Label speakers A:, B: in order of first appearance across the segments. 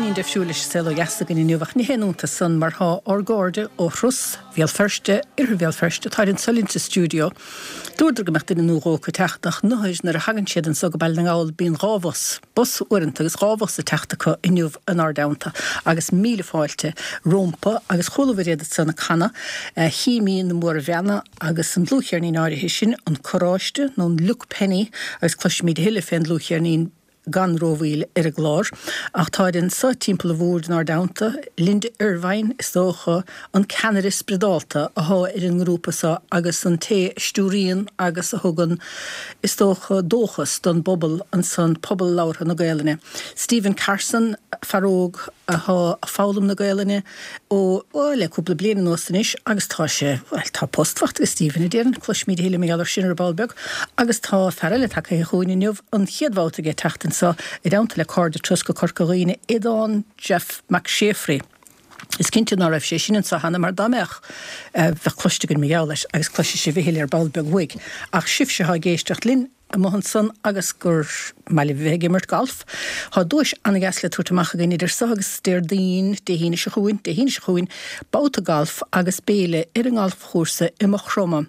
A: Beagáinín difriúil leis an Saol Ó Dheas againn inniu ach ní haon iontas san mar thá ár gcairde ó Thruss Bhéal Feirste, Oirthear Bhéal Feirste, táid anso linn sa stiúideo. Dúradar go mbeadh duine nó dhó acu ag teacht ach nuair nuair a thagann siad anso go Baile na nGall bíonn dhá bhus, bus uaireanta agus dhá bhus ag teacht acu inniu inár dteannta agus míle fáilte rómpa agus chualabhair iad ansan ag canadh Chimí na Mórbheanna agus an dlúthcheirnín áirithe sin, An Carráiste nó an Luke Penny agus cloisfimid a thuilleadh fén dlúthcheirnín gan rómhoill ar an gclár, ach táid anso timpeall an bhoird inár dteannta, Linda Ervine, is dócha, an ceannaire spioradálta athá ar an ngrúpa so agus an té a stiúraíonn agus a thugann, is dócha, dóchas don bpobal ansan, pobal labhartha na Gaelainne. Stephen Carson, fear óg athá a' foghlaim na Gaelainne, ó, bhuel, le cúpla bliain anuas anois agus tá sé, bhuel, tá post faighte ag Stephen, a déarfainn, cloisfimid a thuilleadh mar gheall air sin ar ball beag. Agus tá fear eile tagtha chugainn inniu, an chéad bhabhta aige teacht anso i dteannta le cairde Turas go Corca Dhuibhne, Aodán Jeff Mac Séafraidh. Is cinnte ná raibh sé sin anso cheana mar dá mbeadh, bheadh cloiste againn mar gheall air agus cloisfidh sibh a thuilleadh ar ball beag uaidh. Ach sibhse atá ag éisteacht linn, amuigh ansan agus gur maith libh a bheith ag imirt galf. Tá duais an-dheas le tabhairt amach againn idir so agus Déardaoin, Dé hAoine seo chugainn, Dé hAoine seo chugainn, babhta galf agus béile ar an ngalfchúrsa i Maigh Chromtha.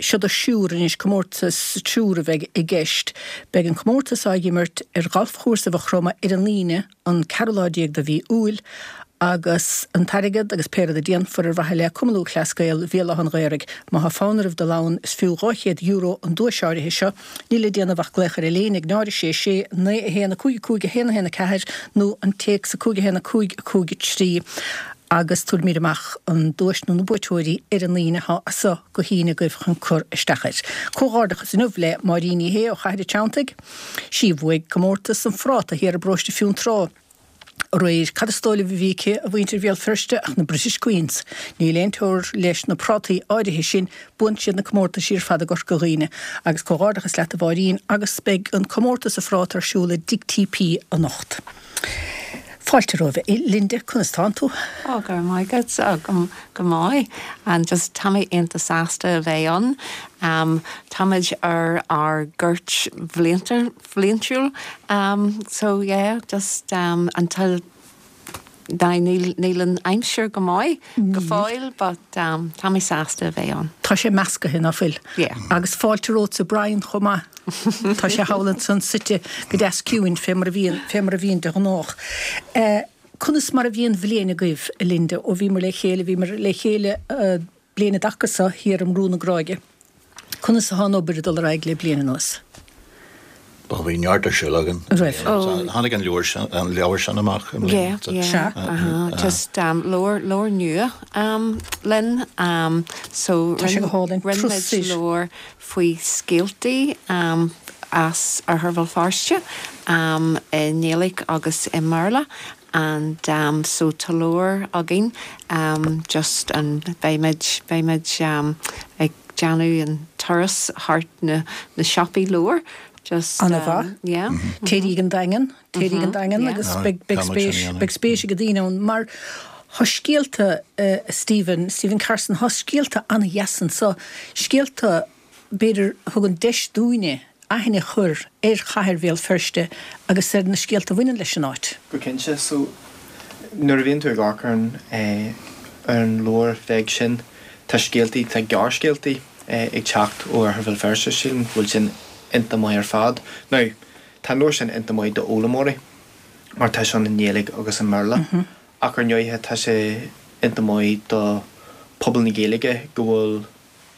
A: Seo do thriúr anois, comórtas triúr a bheidh i gceist. Beidh an comórtas á imirt ar ghalfchúrsa Mhaigh Chromtha ar an Aoine, an ceathrú lá déag de mhí Iúil, agus an t-airgead agus pé rud a déanfar ar mhaithe le Cumann Lúthchleas Gael Bhéal Átha an Ghaorthaidh. Má thá fonn oraibh dul ann, is fiú €200 an duais áirithe seo. Níl le déanamh ach glaoch ar an líne ag 0 6 6 9 1 5 5 1 1 4 nó an téacs 5 1 5 5 3 agus tabharfaimid amach an duais nó na buaiteoirí ar an Aoine. Thá as so go hAoine agaibh chun cur isteach air. Comhghairdeachas inniu le Máirín Ní Shé ó Chathair an Treanntaigh. Sí a bhuaigh comórtas an phráta thiar i bparóiste Fionntrá aréir. Cad is dóigh libh a bhí aici, a mhuintir Bhéal Feirste, ach na British Queens. Níl aon teora leis na prátaí áirithe sin, buann siad na comórtaisí ar fad i gCorca Dhuibhne. Agus comhghairdeachas leat a Mháirín agus beidh an comórtas an phráta ar siúl i dTigh TP anocht. Fáilte romhaibh. A Linda, conas tánn tú?
B: Ó, go raibh maith agat. Ó, go, go maith. And just tá mé iontach sásta a bheith ann. Um, táimid ar ár gcuairt bhlianta, bhliantúil. Um, so yeah, just um, until now níl, níl an aimsir go maith go fóill, but um, tá mé sásta a bheith ann.
A: Tá sé meascaithe, ná fuil?
B: Yeah.
A: Agus fáilte romhatsa Brian chomh maith. Tá sé thall ansan suite go deas ciúin fé mar a bhíonn, fé mar a bhíonn de ghnách. Conas mar a bhí an bhliain agaibh, a Linda, ó bhíomar le chéile, bhíomar le chéile bliain an dtaca so thiar i mBrú na Gráige. Conas atá an obair ag dul ar aghaidh le bliain anuas?
C: Bhuel, bhí neart ar siúl againn.
A: Raibh.
C: Tháinig an leabhar sin, an leabhar sin amach i mbliana.
B: Yeah, yeah.
A: Sea.
B: Uh-huh. Just um, leabhar, leabhar nua um, linn. Um, so
A: Tá sé go hálainn.
B: rinne muid
A: Turas soir.
B: leabhar faoi scéaltaí um, as Oirthear Bhéal Feirste um, i nGaeilge agus i mBéarla and um, so tá leabhar againn um, just and beimid, beimid um, ag déanamh an turas thart na, na siopaí leabhar just
A: An-mhaith.
B: yeah.
A: Téirí ag an Daingean, téirí ag an Daingean
B: yeah.
A: agus
C: Aye,
A: beidh, beidh
C: tá muid sin
A: spéis,
C: a dhéanamh.
A: beidh spéis ag daoine ann mar thá scéalta, eh, Stephen, Stephen Carson, thá scéalta an-dheas anso, scéalta b'fhéidir a thugann deis dúinne aithne a chur ar chathair Bhéal Feirste agus ar na scéalta a bhaineann leis an áit.
D: Go cinnte. So, nuair a bhíonn tú ag amharc ar an, eh, ar an leabhar bheag sin, tá scéaltaí, tá gearrscéaltaí, eh, ag teacht ó Oirthear Bhéal Feirste, sílim go bhfuil sin iontach maith ar fad. Now, tá an leabhar sin iontach maith d'fhoghlaimeoirí mar tá sé ann i nGaeilge agus i mBéarla. Ach ar ndóighe tá sé iontach maith do phobal na Gaeilge go bhfuil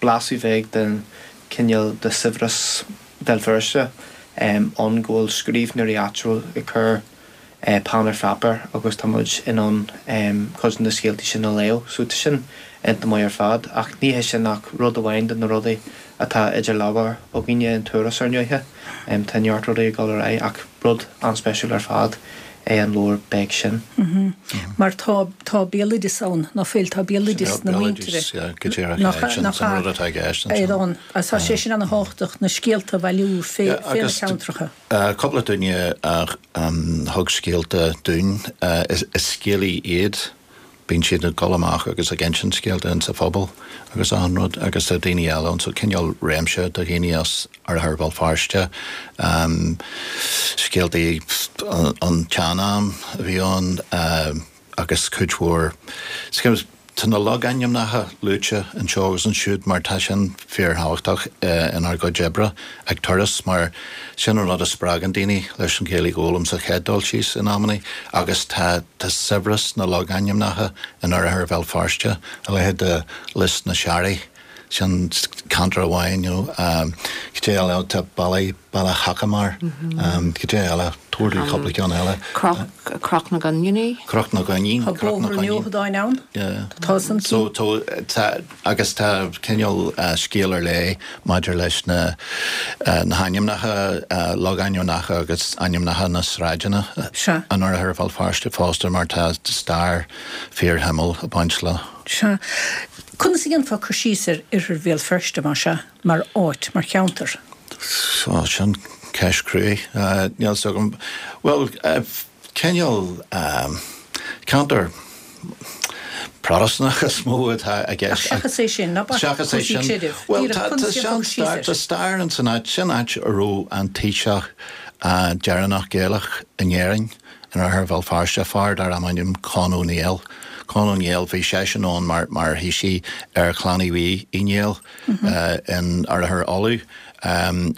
D: blaiseadh bheag den cineál de saibhreas Bhéal Feirste ann, go bhfuil scríbhneoirí áitiúil ag cur peann ar pháipéar agus tá muid in ann cuid de na scéaltaí sin a léamh. So tá sin iontach maith ar fad. Ach ní hé sin ach rud amháin de na rudaí atá idir lámha againne in Turas ar ndóighe. Tá neart rudaí ag dul ar aghaidh ach rud an-speisiúil ar fad é an leabhar beag sin.
A: Mar tá, tá béaloideas ann, ná fuil, tá béaloideas na muintire.
C: Béaloideas, yeah, go díreach, yeah, sin an rud atá i gceist ansin.
A: Ar ann, agus tá sé sin ana-thábhachtach, na scéalta a bhailiú fé, fé na ceantracha.
C: Cúpla duine a thug scéalta dúinn, is scéalaí iad. Bíonn siad ag dul amach agus ag insint scéalta insa phobal agus achan rud agus tá daoine eile ann so cineál réimse de dhaoine as Oirthear Bhéal Feirste, scéaltaí an tsean-am a bhí ann agus cuid mhór, tá na logainmneacha luaite anseo agus ansiúd mar tá sin fíorthábhachtach inár gcuid oibre ag Turas mar sin an rud a spreagann daoine leis an Ghaeilge a fhoghlaim sa chéad dul síos in amannaí agus tá tá saibhreas na logainmneacha in oirthear Bhéal Feirste, a leithéid de Lios na Searraí. Sin ceantar amháin, you know. Cad é eile? Tá Baile, Baile Shacamar. Cad é eile? Tabhair dúinn cúpla ceann eile.
B: Croc, Croc na gCoiníní.
C: Croc na gCoinín,
A: Tá
C: Croc na
A: Bóthar an
C: gCoinín.
A: Fheothadáin ann.
C: Yeah.
A: Tá san
C: So, tá, tá, agus tá cineál scéal ar leith maidir leis na, na hainmneacha, logainmneacha agus ainmneacha na sráideanna
A: Sea.
C: in oirthear Bhéal Feirste fosta mar tá stair fíorshuimiúil ag baint leo.
A: Sea. Conas a dhéanfá cur síos ar Oirthear Bhéal Feirste, más ea, mar áit, mar cheantar?
C: Ó, sin ceist cruaidh. Níl fhios agam. Bhuel, cineál ceantar Protastúnach is mó atá i gceist.
A: Ach seachas é sin, ná bac
C: Seachas é
A: cúrsaí
C: sin,
A: creidimh.
C: bhuel,
A: Díreach,
C: tá,
A: conas
C: tá
A: a dhéanfá cur síos
C: sean-stair,
A: air?
C: tá stair ins an áit, sin áit a raibh an taoiseach deireanach Gaelach in Éirinn. In oirthear Bhéal Feirste, fear darbh ainm Conn Ó Néill. Conn Ó Néill, bhí seisean ann mar mar thaoisigh ar Chlann Uí Uí Néill in oirthear Uladh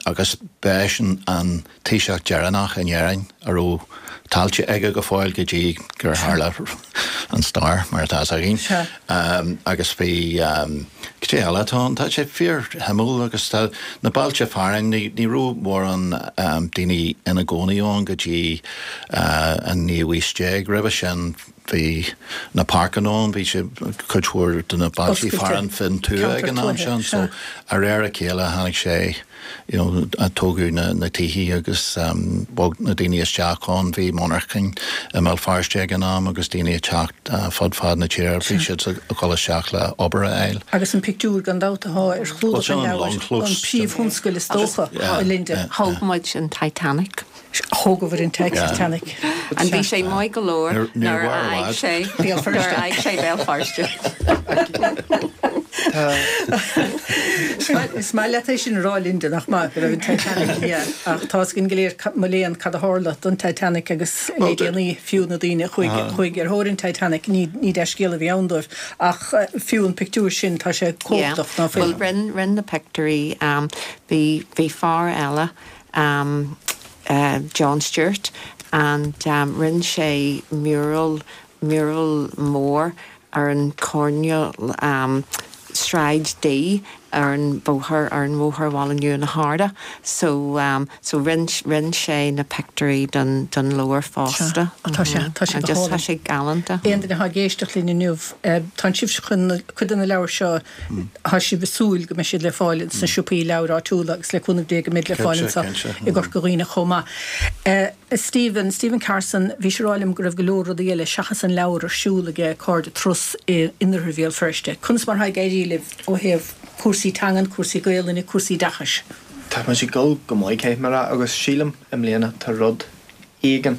C: agus b'eisean an taoiseach deireanach in Éirinn a raibh tailte aige go fóill go dtí gur tharla an stair mar atá fhios againn. Agus bhí, cad é eile atá ann? Tá sé fíorshuimiúil agus tá na bailte fearainn, ní raibh mórán daoine ina gcónaí ann go dtí an naoú haois déag. Roimhe sin bhí na páirceanna ann, bhí sé cuid mhór de na bailte fearainn fén tuath ag an am sin so de réir a chéile tháinig sé you know, tógadh na, na tithe agus bhog na daoine isteach ann. Bhí monarchain i mBéal Feirste ag an am agus daoine ag teacht fud fad na tíre, bhí siad ag dul isteach le obair a fháil.
A: Agus an pictiúr gan dabht atá ar chlúdach an leabhair, an príomhthionscail is dócha, a Linda.
B: Thóg muid an Titanic.
A: Thógabhair an Titanic.
B: And bhí sé maith go leor nuair a fhág sé Béal nuair a fhág sé Béal Feirste.
A: Is maith leat é sin a rá Linda, nach maith, go raibh an Titanic, yeah. Ach tá fhios againn go léir, mo léan, cad a tharla don Titanic agus le déanaí fiú na daoine a chuaigh, chuaigh ar thóir an Titanic, ní, ní dea-scéal a bhí ann dóibh. Ach fiú an pictiúr sin, tá sé cumhachtach, ná fuil?
B: Bhuel, rinn, rinn na pictiúirí, bhí, bhí fear eile, John Stewart and rinne sé mural, mural mór ar an coirnéal Sráid D ar an bóthar, ar an bhóthar Bhaile Nua na hArda. So, so rinne, rinne sé na pictiúirí don, don leabhar fosta.
A: Sea, tá sé, tá sé go
B: Just tá
A: hálainn.
B: sé galánta.
A: Aon duine atá ag éisteacht linn inniu, tá sibh chun cuid de na leabhair seo, Tá sibh ag súil go mbeidh siad le fáil sna siopaí leabhar áitiúla agus le cúnamh Dé go mbeidh le fáil
C: Cinnte,
A: anseo
C: cinnte.
A: i gCorca Dhuibhne chomh maith. Stephen, Stephen Carson, bhís ag rá liom go raibh go leor rudaí eile seachas an leabhar ar siúl aige Cairde Turas in Oirthear Bhéal Feirste. Conas mar atá ag éirí libh ó thaobh cúrsaí teangan, cúrsaí Gaelainne, cúrsaí oideachais?
D: Tá muid ag dul go maith, caithfidh mé a rá, agus sílim i mbliana tá rud éigin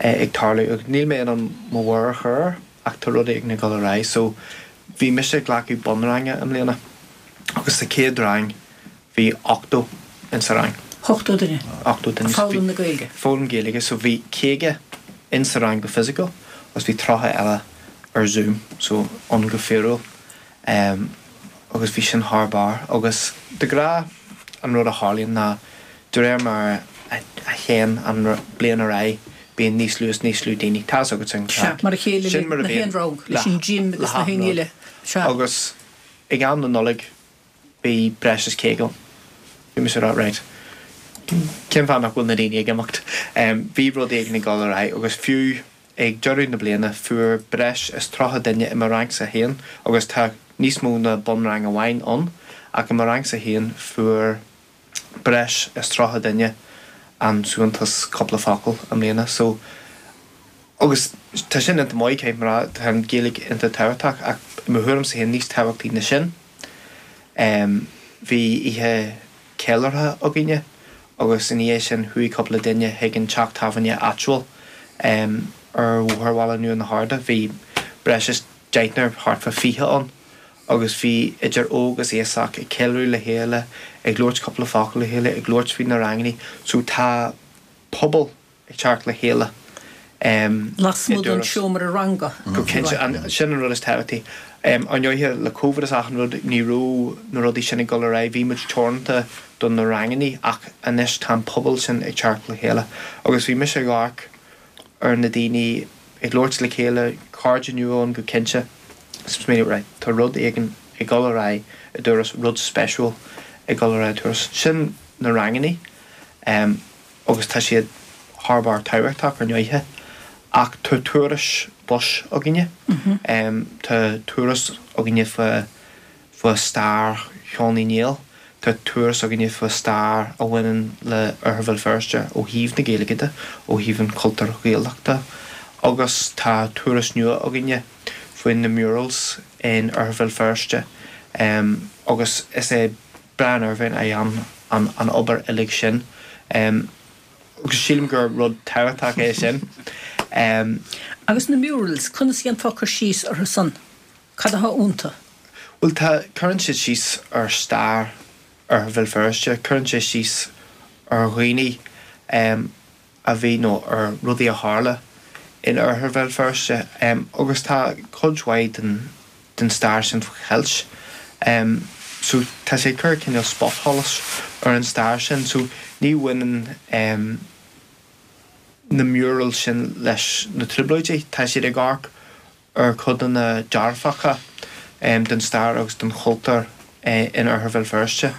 D: ag tarlú agus níl mé in ann mo mhéar a chur air ach tá rud éigin ag dul ar aghaidh. So bhí mise ag glacadh bunranga i mbliana agus sa chéad rang bhí 80 in sa rang.
A: 80 duine?
D: 80 duine.
A: Ag foghlaim na Gaeilge?
D: Foghlaim Gaeilge. So bhí 50 in sa rang go fisiciúil agus bhí 30 eile ar Zoom, so ann go fíorúil. Um, agus bhí sin thar barr. Agus de ghnáth an rud a tharlaíonn ná de réir mar a théann an bliain ar aghaidh bíonn níos lú is níos lú daoine. Tá fhios agat an
A: Sea,
D: craic.
A: mar a chéile
D: Sin mar a
A: le
D: bhíonn
A: haon rang, leis an gym
D: le
A: agus na
D: hachan
A: haon
D: rud.
A: eile. Sea.
D: Agus ag am na Nollag bhí breis is 50 ann. Bhí mise ag rá, right, cén fáth nach bhfuil na daoine ag imeacht? Bhí rud éigin ag dul ar aghaidh agus fiú ag deireadh na bliana fuair breis is 30 duine i mo rangsa féin, agus tá níos mó ná bunrang amháin ann, ach i mo rangsa féin fuair breis is 30 duine an suaitheantas cúpla focal i mbliana. So, agus tá sin iontach maith, caithfidh mé a rá, tá an Ghaeilge iontach tábhachtach ach i mo thuairimse féin níos tábhachtaí ná sin, bhí oíche ceiliúrtha againne agus ina dhiaidh sin chuaigh cúpla duine chuig an teach tábhairne áitiúil ar Bhóthar Bhaile Nua na hArda. Bhí. breis is deichniúr, thart fá 20 ann agus bhí idir óg is aosach ag ceiliúradh le chéile, ag labhairt cúpla focal le chéile, ag labhairt faoi na rangannaí. So tá pobal ag teacht le chéile
A: i Lasmuigh den seomra ranga.
D: Go cinnte, sin an rud is tábhachtaí. Ar ndóighe, le Covid is achan rud, ní raibh na rudaí sin ag dul ar aghaidh, bhí muid teoranta do na rangannaí ach anois tá an pobal sin ag teacht le chéile. Agus bhí mise ag amharc ar na daoine ag labhairt le chéile, cairde nua ann go cinnte, is smaoineamh, right, tá rud éigin ag dul ar aghaidh i dTuras, rud speisiúil ag dul ar aghaidh i dTuras. Sin na rangannaí. Agus tá siad thar barr tábhachtach ar ndóighe. Ach tá turais bus againne. Tá turas againne fá fá stair Cheann Uí Néill. Tá turas againne fá stair a bhaineann le Oirthear Bhéal Feirste ó thaobh na Gaeilge de, ó thaobh an chultúir Ghaelach de. Agus tá turas nua againne faoi na murals in Oirthear Bhéal Feirste. Agus is é Brian Irvine a dhéan an obair uilig sin agus sílim gur rud tábhachtach é sin.
A: Agus na murals, conas a dhéanfá cur síos orthu san? Cad atá iontu?
D: Bhuel tá, cuireann siad síos ar stair Oirthear Bhéal Feirste, cuireann sé síos ar dhaoine a bhí nó ar rudaí a tharla in Oirthear Bhéal Feirste agus tá cuid mhaith den den stair sin faoi cheilt. So tá sé ag cur cineál spotsholas ar an stair sin. So ní bhaineann na murals sin leis na Trioblóidí, tá siad ag amharc ar chodanna dearfacha den stair agus den chultúr in Oirthear Bhéal Feirste.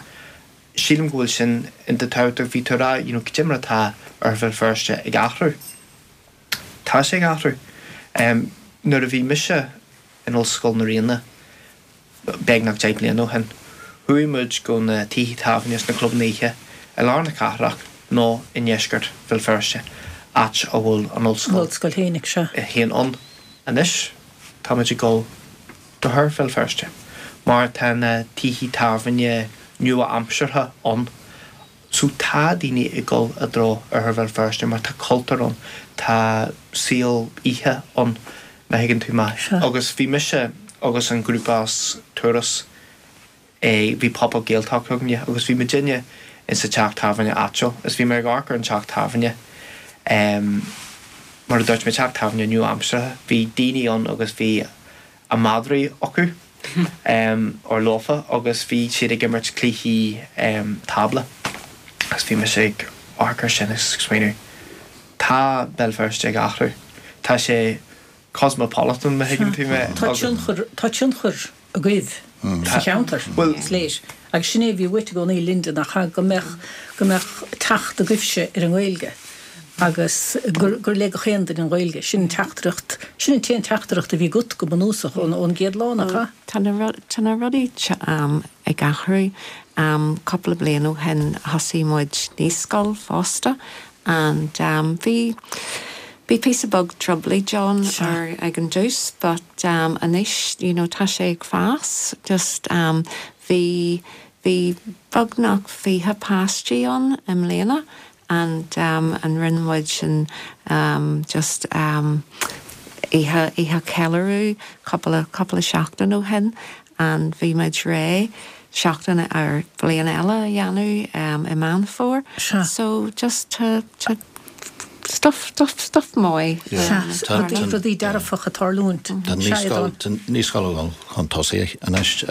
D: Sílim go bhfuil sin iontach tábhachtach. Bhí tú ag rá, you know, cad é mar atá Oirthear Bhéal Feirste ag athrú. Tá sé ag athrú. Nuair a bhí mise in Ollscoil na Ríona beagnach 10 mbliana ó shin, chuaigh muid go na tithe tábhairne is na clubanna oíche i lár na cathrach nó i ndeisceart Bhéal Feirste, áit a bhfuil an
A: ollscoil Ollscoil fhéinig, sea.
D: féin ann. Anois táimid ag dul go hOirthear Bhéal Feirste mar tá na tithe tábhairne nua-aimseartha ann. So tá daoine ag dul i dtreo Oirthear Bhéal Feirste mar tá cultúr ann, tá saol oíche ann, má thuigeann tú mé. Agus bhí mise agus an grúpa as Turas, eh bhí Pop Up Gaeltacht againne agus bhí muidinne in sa teach tábhairne áitiúil is bhí mé ag amharc ar an teach tábhairne, em mar a dúirt mé, teach tábhairne nua-aimseartha, bhí daoine ann agus bhí a madraí acu or leofa agus bhí siad ag imirt cluichí tábla agus bhí mise ag amharc ar sin agus ag smaoineamh tá Béal Feirste ag athrú, tá sé cosmopolitan má thuigeann tú mé.
A: Tá tionchar, tá tionchar agaibh sa cheantar, is léir. Agus sin é a bhí uait i gcónaí Linda, nach ea, go mbeadh, go mbeadh teacht agaibhse ar an nGaeilge. agus gur gur le gach aon duine an Ghaeilge. Sin an teachtaireacht, sin an t-aon teachtaireacht a bhí agat go bunúsach ón ón gcéad lá, nach ea?
B: Tá na tá na rudaí ag athrú. Cúpla bliain ó shin thosaigh muid naíscoil fosta and bhí bhí píosa beag trioblóid ann ar ag an dtús but anois you know tá sé ag fás just bhí bhí beagnach 20 páistí ann i mbliana and and rinne muid sin just oíche oíche ceiliúradh cúpla cúpla seachtain ó shin and bhí muid réidh seachtain ar bliain eile a dhéanamh i Meán Fómhair so just tá tá stuff stuff stuff maith
A: Sea, rudaí rudaí dearfach ag tarlúint.
C: Tá naíscoil tá naíscoil ag dul chun tosaigh anois.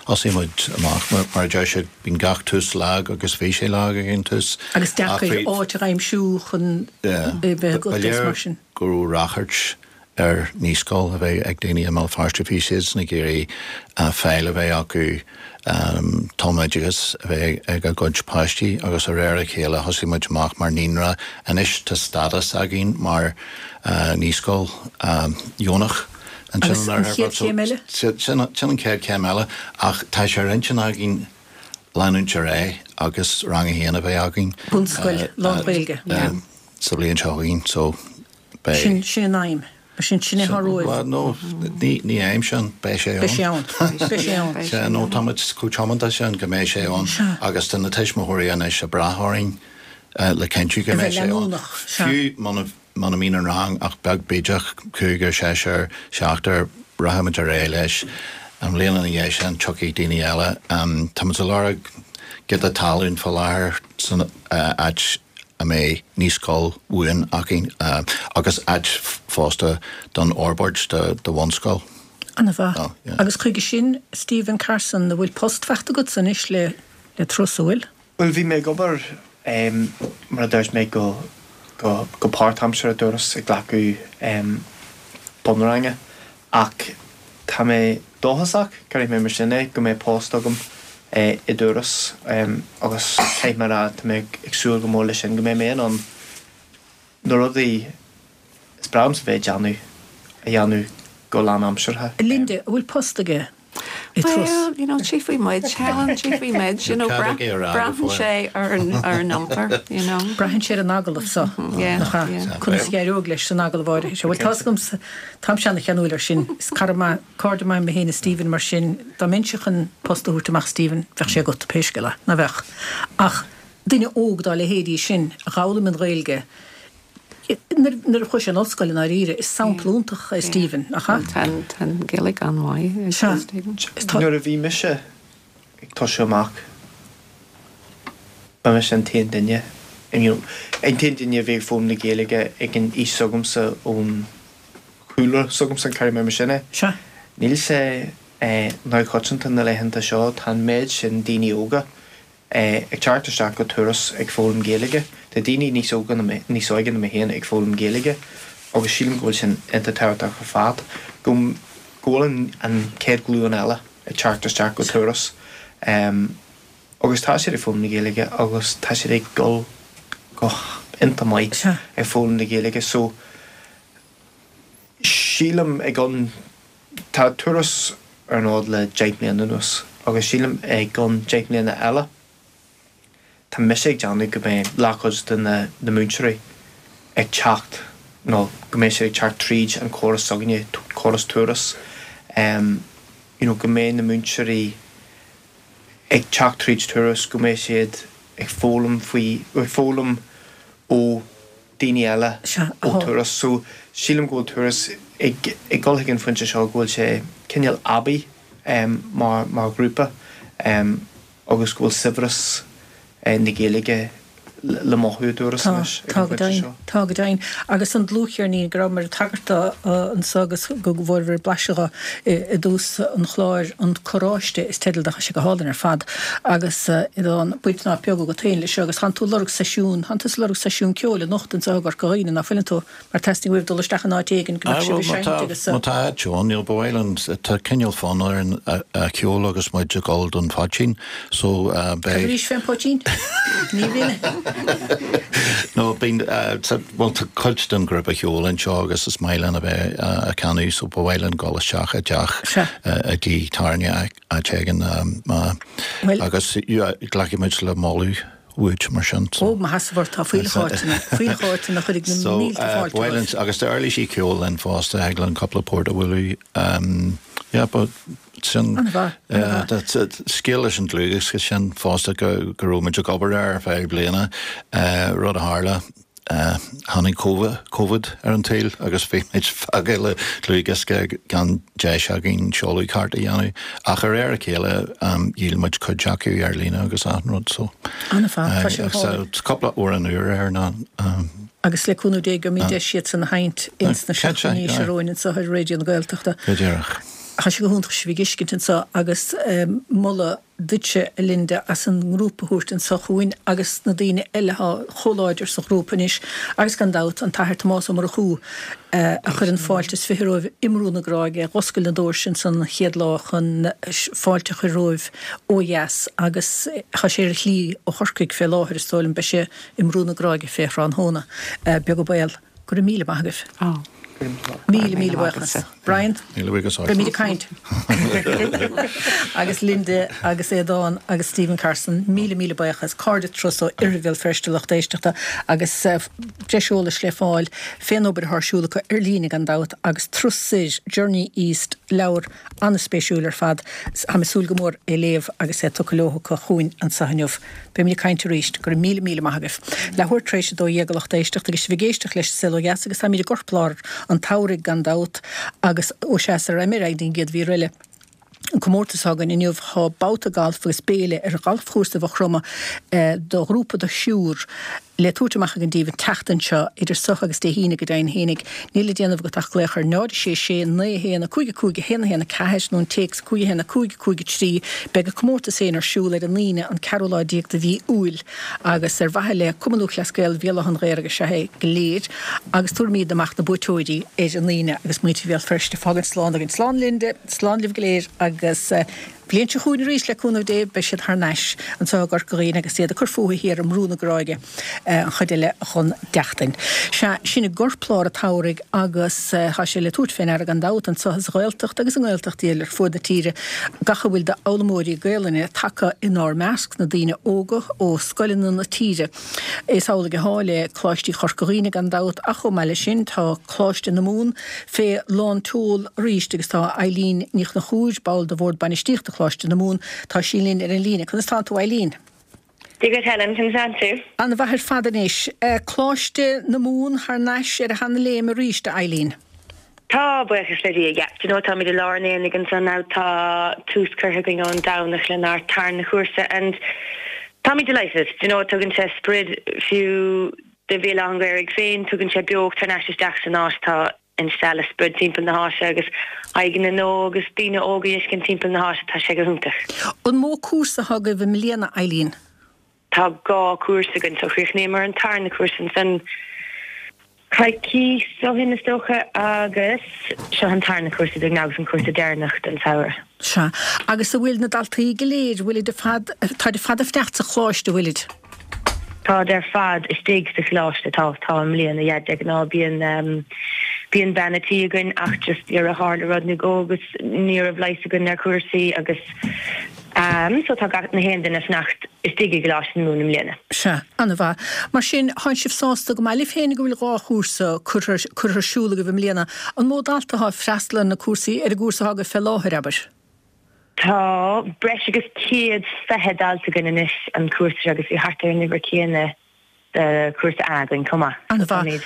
C: Thosaigh muid amach mar mar a deir siad Bíonn gach tús lag agus bhí sé lag ag an tús.
A: Agus deacair áit a aimsiú chun é bheith agat
C: is mar sin. Ba léir go raibh ráchairt ar naíscoil a bheith ag daoine i mBéal Feirste. Bhí siadsan ag iarraidh fáil a bheith acu, tumoideachas a bheith ag a gcuid páistí agus de réir a chéile thosaigh muid amach mar naíonra. Anois tá stádas againn mar naíscoil dheonach.
A: Agus an chéad chéim eile?
C: Sin an chéad chéim eile, ach tá sé ar intinn againn leanúint ar aghaidh agus rang a haon a bheith againn.
A: Bunscoil lán-Ghaeilge.
C: Sa bhliain seo chugainn, so
A: beidh. Sin, sin an aidhm. Sin, sin é atá romhaibh.
C: Bhuel, no, ní, ní aidhm sin, beidh sé ann.
A: Beidh sé ann. Beidh sé ann.
C: Sea, no, tá muid chomh tiomanta sin go mbeidh sé ann.
A: Sea.
C: Agus tá na tuismitheoirí anois ag brath orainn le cinntiú go
A: A
C: mbeidh
A: bheith
C: sé ann.
A: leanúnach, sea.
C: Fiú muna. muna mbíonn an rang ach beag bídeach, cúigear, seisear, seachtar, rachaimid ar aghaidh leis. An bhliain ina dhiaidh sin tiocfaidh daoine eile. Táimid ag lorg giota talún fá láthair san áit a mbeidh naíscoil bhuan againn agus áit fosta don fhorbairt do bhunscoil.
A: An-mhaith. Agus chuige sin, Stephen Carson, an bhfuil post faighte agatsa anois le Turas, an bhfuil?
D: Bhuel, bhí mé ag obair, mar a dúirt mé, go go páirtaimseartha i dTuras ag glacadh bunranga ach tá mé dóchasach, cuirfidh mé mar sin é, go mbeidh post agam i dTuras agus caithfidh mé a rá, tá mé ag súil go mór leis sin, go mbeidh mé in ann na rudaí is breá liomsa bheith ag déanamh, a dhéanamh go lánaimseartha.
A: Linda, an bhfuil post aige i
B: Turas? Well, you know, tchífidh muid, Helen, tchífidh muid, you know, braitheann sé ar an iompar, you know.
A: Braitheann sé ar an agallamh so, nach ea? Conas a d'éireodh leis san agallamh áirithe seo? Bhuel, tá's agamsa, táimse ana-cheanúil air sin, is cara maith, cairde maith mé féin is Stephen, mar sin, dá mbeinnse chun post a thabhairt amach Stephen, bheadh sé agat, pé scéal é, ná bheadh? Ach duine óg dá leithéidí sin a dh'fhoghlaim an Ghaeilge, Nuair a chuaigh sé in ollscoil i ndáiríre, is sampla iontach é Stephen, nach ea?
B: Tá an Ghaeilge an-mhaith ag Stephen.
D: Nuair a bhí mise ag tosú amach, ba mise an t-aon duine, you know, an t-aon duine a bhí ag foghlaim na Gaeilge ag an aois s'agamsa ón chúlra s'agamsa, cuirfidh mé mar sin é. Níl sé neamhchoitianta na laethanta seo, tá an méid sin daoine óga ag teacht isteach go Turas ag foghlaim Gaeilge. Tá daoine níos óga ná mé, níos óige ná mé féin ag foghlaim Gaeilge agus sílim go bhfuil sin iontach tábhachtach ar fad, go go bhfuil an an chéad ghlúin eile ag teacht isteach go Turas agus tá siad ag foghlaim na Gaeilge agus tá siad ag dul go hiontach maith ag foghlaim na Gaeilge so sílim i gcionn Tá Turas ar an fhód le 10 mbliana anuas agus sílim i gcionn 10 mbliana eile, tá mise ag déanamh go mbeidh leathchuid de na múinteoirí ag teacht nó go mbeidh siad ag teacht tríd an chóras s'againne, córas Turas, you know go mbeidh na múinteoirí ag teacht tríd Turas, go mbeidh siad ag foghlaim faoi, ag foghlaim ó daoine eile ó Turas. So, sílim go bhfuil Turas ag ag dul chuig an phointe seo go bhfuil sé cineál aibí mar mar ghrúpa agus go bhfuil saibhreas na Gaeilge le mothú i dTuras anois
A: ag an phointe seo. Tá, go deimhin. Agus an dlúthcheirnín go rabhamar ag tagairt dó anso agus go bhfuaireabhair blaiseadh dho i dtús an chláir, An Carráiste is teideal dó, tá sé go hálainn ar fad. Agus an baint nach beag agat féin leis seo agus thánn tú ag lorg seisiún, thánn tusa ag lorg seisiún ceoil anocht anseo i gCorca Dhuibhne, ná fuileann tú? Mar teastaíonn uaibh dul isteach in áit éigin go mbeadh sibh ag seinnt agus.
C: Má tá áit ann, you know, ba mhaith linn, tá cineál fonn orainn a cheol agus muid ag dul don phoitín so
A: beidh. Cad arís fén poitín? Ní bhíonn.
C: No, bíonn, bhuel tá cuid den ghrúpa cheoil anseo agus is maith linn a bheith ag canadh so ba mhaith linn dul isteach i dteach i dtigh tábhairne áit éigin agus glacfaidh muid le moladh uait mar sin.
A: Ó, má theastaíonn uait, tá fuílleach áiteanna, fuílleach áiteanna a chuirfidh na mílte fáilte
C: romhat. Agus tá uirlisí ceoil linn fosta, thig linn cúpla port a bhualadh. Yeah, but sin, scéal leis an dlúthdhiosca sin fosta go raibh muid ag obair air ar feadh bliana, rud a tharla. Tháinig Covid ar an tsaol agus bhí muid fágtha le dlúthdhiosca gan deis againn seoladh ceart a dhéanamh. Ach de réir a chéile dhíol muid cuid acu ar líne agus achan rud so.
A: An-mhaith, tá sé go
C: hálainn. Cúpla amhrán úr air ná.
A: Agus le cúnamh Dé gheobhaimid deis iad san a sheinnt ins na seachtainí seo romhainn anseo ar Raidió na Gaeltachta.
C: Go díreach.
A: Tá sé go hiontach sibh a fheiscint anseo agus moladh duitse, a Linda, as an ngrúpa a thabhairt anso chugainn agus na daoine eile atá chomh láidir sa ghrúpa anois agus gan dabht an tAthair Tomás Ó Murchú a chuir an fáilte is fiche romhaibh i mBrú na Gráige, dh'oscail na doirse ansan an chéad lá chun fáilte a chur romhaibh ó dheas agus tá sé ar a shlí ó Chorcaigh fé láthair is dóigh liom, beidh sé i mBrú na Gráige fé thráthnóna. Beag an baol. Go raibh míle maith agaibh. Míle, míle buíochas. Brian,
C: Míle buíochas
A: ort. Beimid ag caint. Agus Linda agus Aodán agus Stephen Carson, míle míle buíochas. Cairde Turas ó Oirthear Bhéal Feirste lucht éisteachta agus breis eolais le fáil fén obair atá ar siúl acu ar líne gan dabht agus Turas Soir, Journey East, leabhar an-spéisiúil ar fad. Táim ag súil go mór é léamh agus é tugtha leo acu chugainn anseo inniu. Beimid ag caint arís. Go raibh míle míle maith agaibh. Leathuair tar éis 12 a lucht éisteachta agus sibh ag éisteacht leis An Saol Ó Dheas agus táimid i gcorplár an tsamhraidh gan dabht agus ó sea sara raghaidh mé ar aghaidh don gcéad mhír eile. An comórtas atá againn inniu tá babhta gailf agus béile ar ghalfchúrsa Mhaigh Chromtha do ghrúpa de thriúr le tabhairt amach againn daoibh an tseachtain seo, idir seo agus Dé hAoine go deimhin fhéinig. Níl le déanamh agat ach glaoch ar 0 6 6 9 1 5 5 1 1 4 nó an téacs 5 1 5 5 3. Beidh an comórtas féin ar siúl ar an Aoine an ceathrú lá déag de mhí Iúil agus ar mhaithe le Cumann Lúthchleas Gael Bhéal Átha an Ghaorthaidh is ea é go léir agus tabharfaimid amach na buaiteoirí ar an Aoine agus muintir Bhéal Feirste ag fágaint slán againn. Slán Linda, slán libh go léir agus. Bliain seo chugainn arís, le cúnamh Dé, beidh siad thar n-ais anseo i gCorca Dhuibhne agus iad ag cur fúthu thiar i mBrú na Gráige an chuid eile dhon tseachtain. Sea, sin i gcorplár an tsamhraidh agus tá sé le tabhairt fé ndeara gan dabht anseo sa Ghaeltacht agus i nGaeltachtaí eile ar fuaid na tíre gach a bhfuil d'fhoghlaimeoirí Gaelainne tagtha inár measc, na daoine óga ó scoileanna na tíre. Is amhlaidh atá le Coláistí Chorca Dhuibhne gan dabht ach chomh maith leis sin tá Coláiste na Mumhan fé lán tseol arís agus tá Eileen Ní Chonchúir, ball de Bhord Bainistíochta Choláiste na Mumhan, tá sí linn ar an líne. Conas tánn tú Eileen?
E: Dia dhuit Helen, conas tánn tú?
A: Ana mhaith ar fad anois. Coláiste na Mumhan thar n-ais ar a sheana léim arís, a Eileen.
E: Tá, buíochas le Dia, yeah. Do you know táimid i lár an aonaigh ansan now, tá tús curtha againn ón Domhnach lenár tarna chúrsa and táimid delighted. Do you know tugann sé sprid fiú do Bhéal Átha an Ghaorthaidh féin, tugann sé beocht thar n-ais isteach san áit, tá an stealladh sprid timpeall na háite agus aghaidheanna nua agus daoine óga a fheiscint timpeall na háite, tá sé go hiontach.
A: An mó cúrsa atá agaibh i mbliana, Eileen?
E: Tá dhá chúrsa againn so chríochnaíomar an tarna cúrsa ansan coicís ó shin is dócha agus seo an tarna cúrsa dúinn agus an cúrsa deireanach den samhradh.
A: Sea. Agus an bhfuil na daltaí go léir, bhfuilid ar fad, táid ar fad ag fanacht sa choláiste, bhfuilid?
E: Táid ar fad istigh sa choláiste, tá, tá i mbliana, yeah, de ghnáth bíonn, bíonn bean a' tí againn ach just dhera tharla rud nó dhó agus ní raibh leigheas againn ar chúrsaí agus, So tá gach aon duine ag fanacht istigh i gColáiste na Mumhan i mbliana.
A: Sea, an-mhaith. Mar sin, thánn sibh sásta go maith libh féin go bhfuil dhá chúrsa curtha curtha ar siúl agaibh i mbliana. An mó dalta atá ag freastal ar na cúrsaí, ar an gcúrsa atá agaibh fé láthair, abair?
E: Tá breis agus 120 dalta againn anois an cúrsa seo agus bhí thart ar an uimhir céanna do chúrsa A againn chomh maith.
A: So An-mhaith. táimid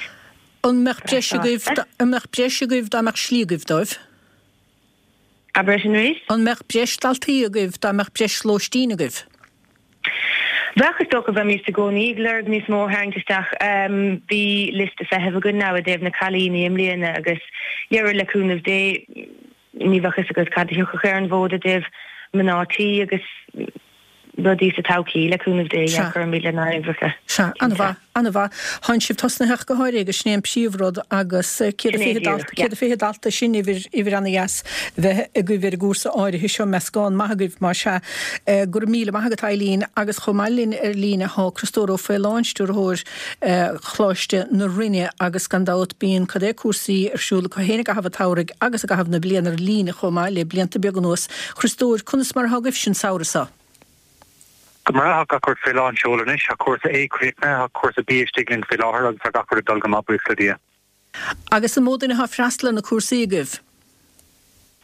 A: An mbeadh breis agaibh, an mbeadh breis agaibh dá mbeadh slí agaibh dóibh?
E: Abair sin arís?
A: An mbeadh breis daltaí agaibh dá mbeadh breis lóistín agaibh?
E: Bheadh, is dócha. Bheimís i gcónaí ag lorg níos mó a tharraingt isteach. Bhí liosta feithimh againn now i dtaobh na cailíní i mbliana agus dhera le cúnamh Dé ní bheadh fhios agat cad a thiocfadh ar an bhfód i dtaobh mná tí agus rudaí sa todhchaí, le cúnamh Dé, yeah, cuirfimid lenár n-uimhreacha.
A: Sea, an-mhaith, an-mhaith. Thánn sibh tosnaithe ach go háirithe agus sin é an príomhrud agus 120 dalta, 120 dalta, sin uimhir, uimhir ana-dheas bheith agaibh ar an gcúrsa áirithe seo, meascán maith agaibh más ea. Go raibh míle maith agat Eileen agus chomh maith linn ar líne thá Criostóir Ó Faoláin, Stiúrthóir Choláiste na Rinne agus gan dabht bíonn cad é cúrsaí ar siúl acu féin i gcaitheamh an tsamhraidh agus i gcaitheamh na bliana ar líne chomh maith le blianta beaga anuas. Chriostóir, conas mar atá agaibhse an samhradh seo?
F: Go breá, tá gach rud fé lán seoil anois. Tá cúrsa A críochnaithe, tá cúrsa B istigh linn fé láthair agus tá gach rud ag dul go maith, buíochas le Dia.
A: Agus an mó duine atá ag freastal ar na cúrsaí agaibh?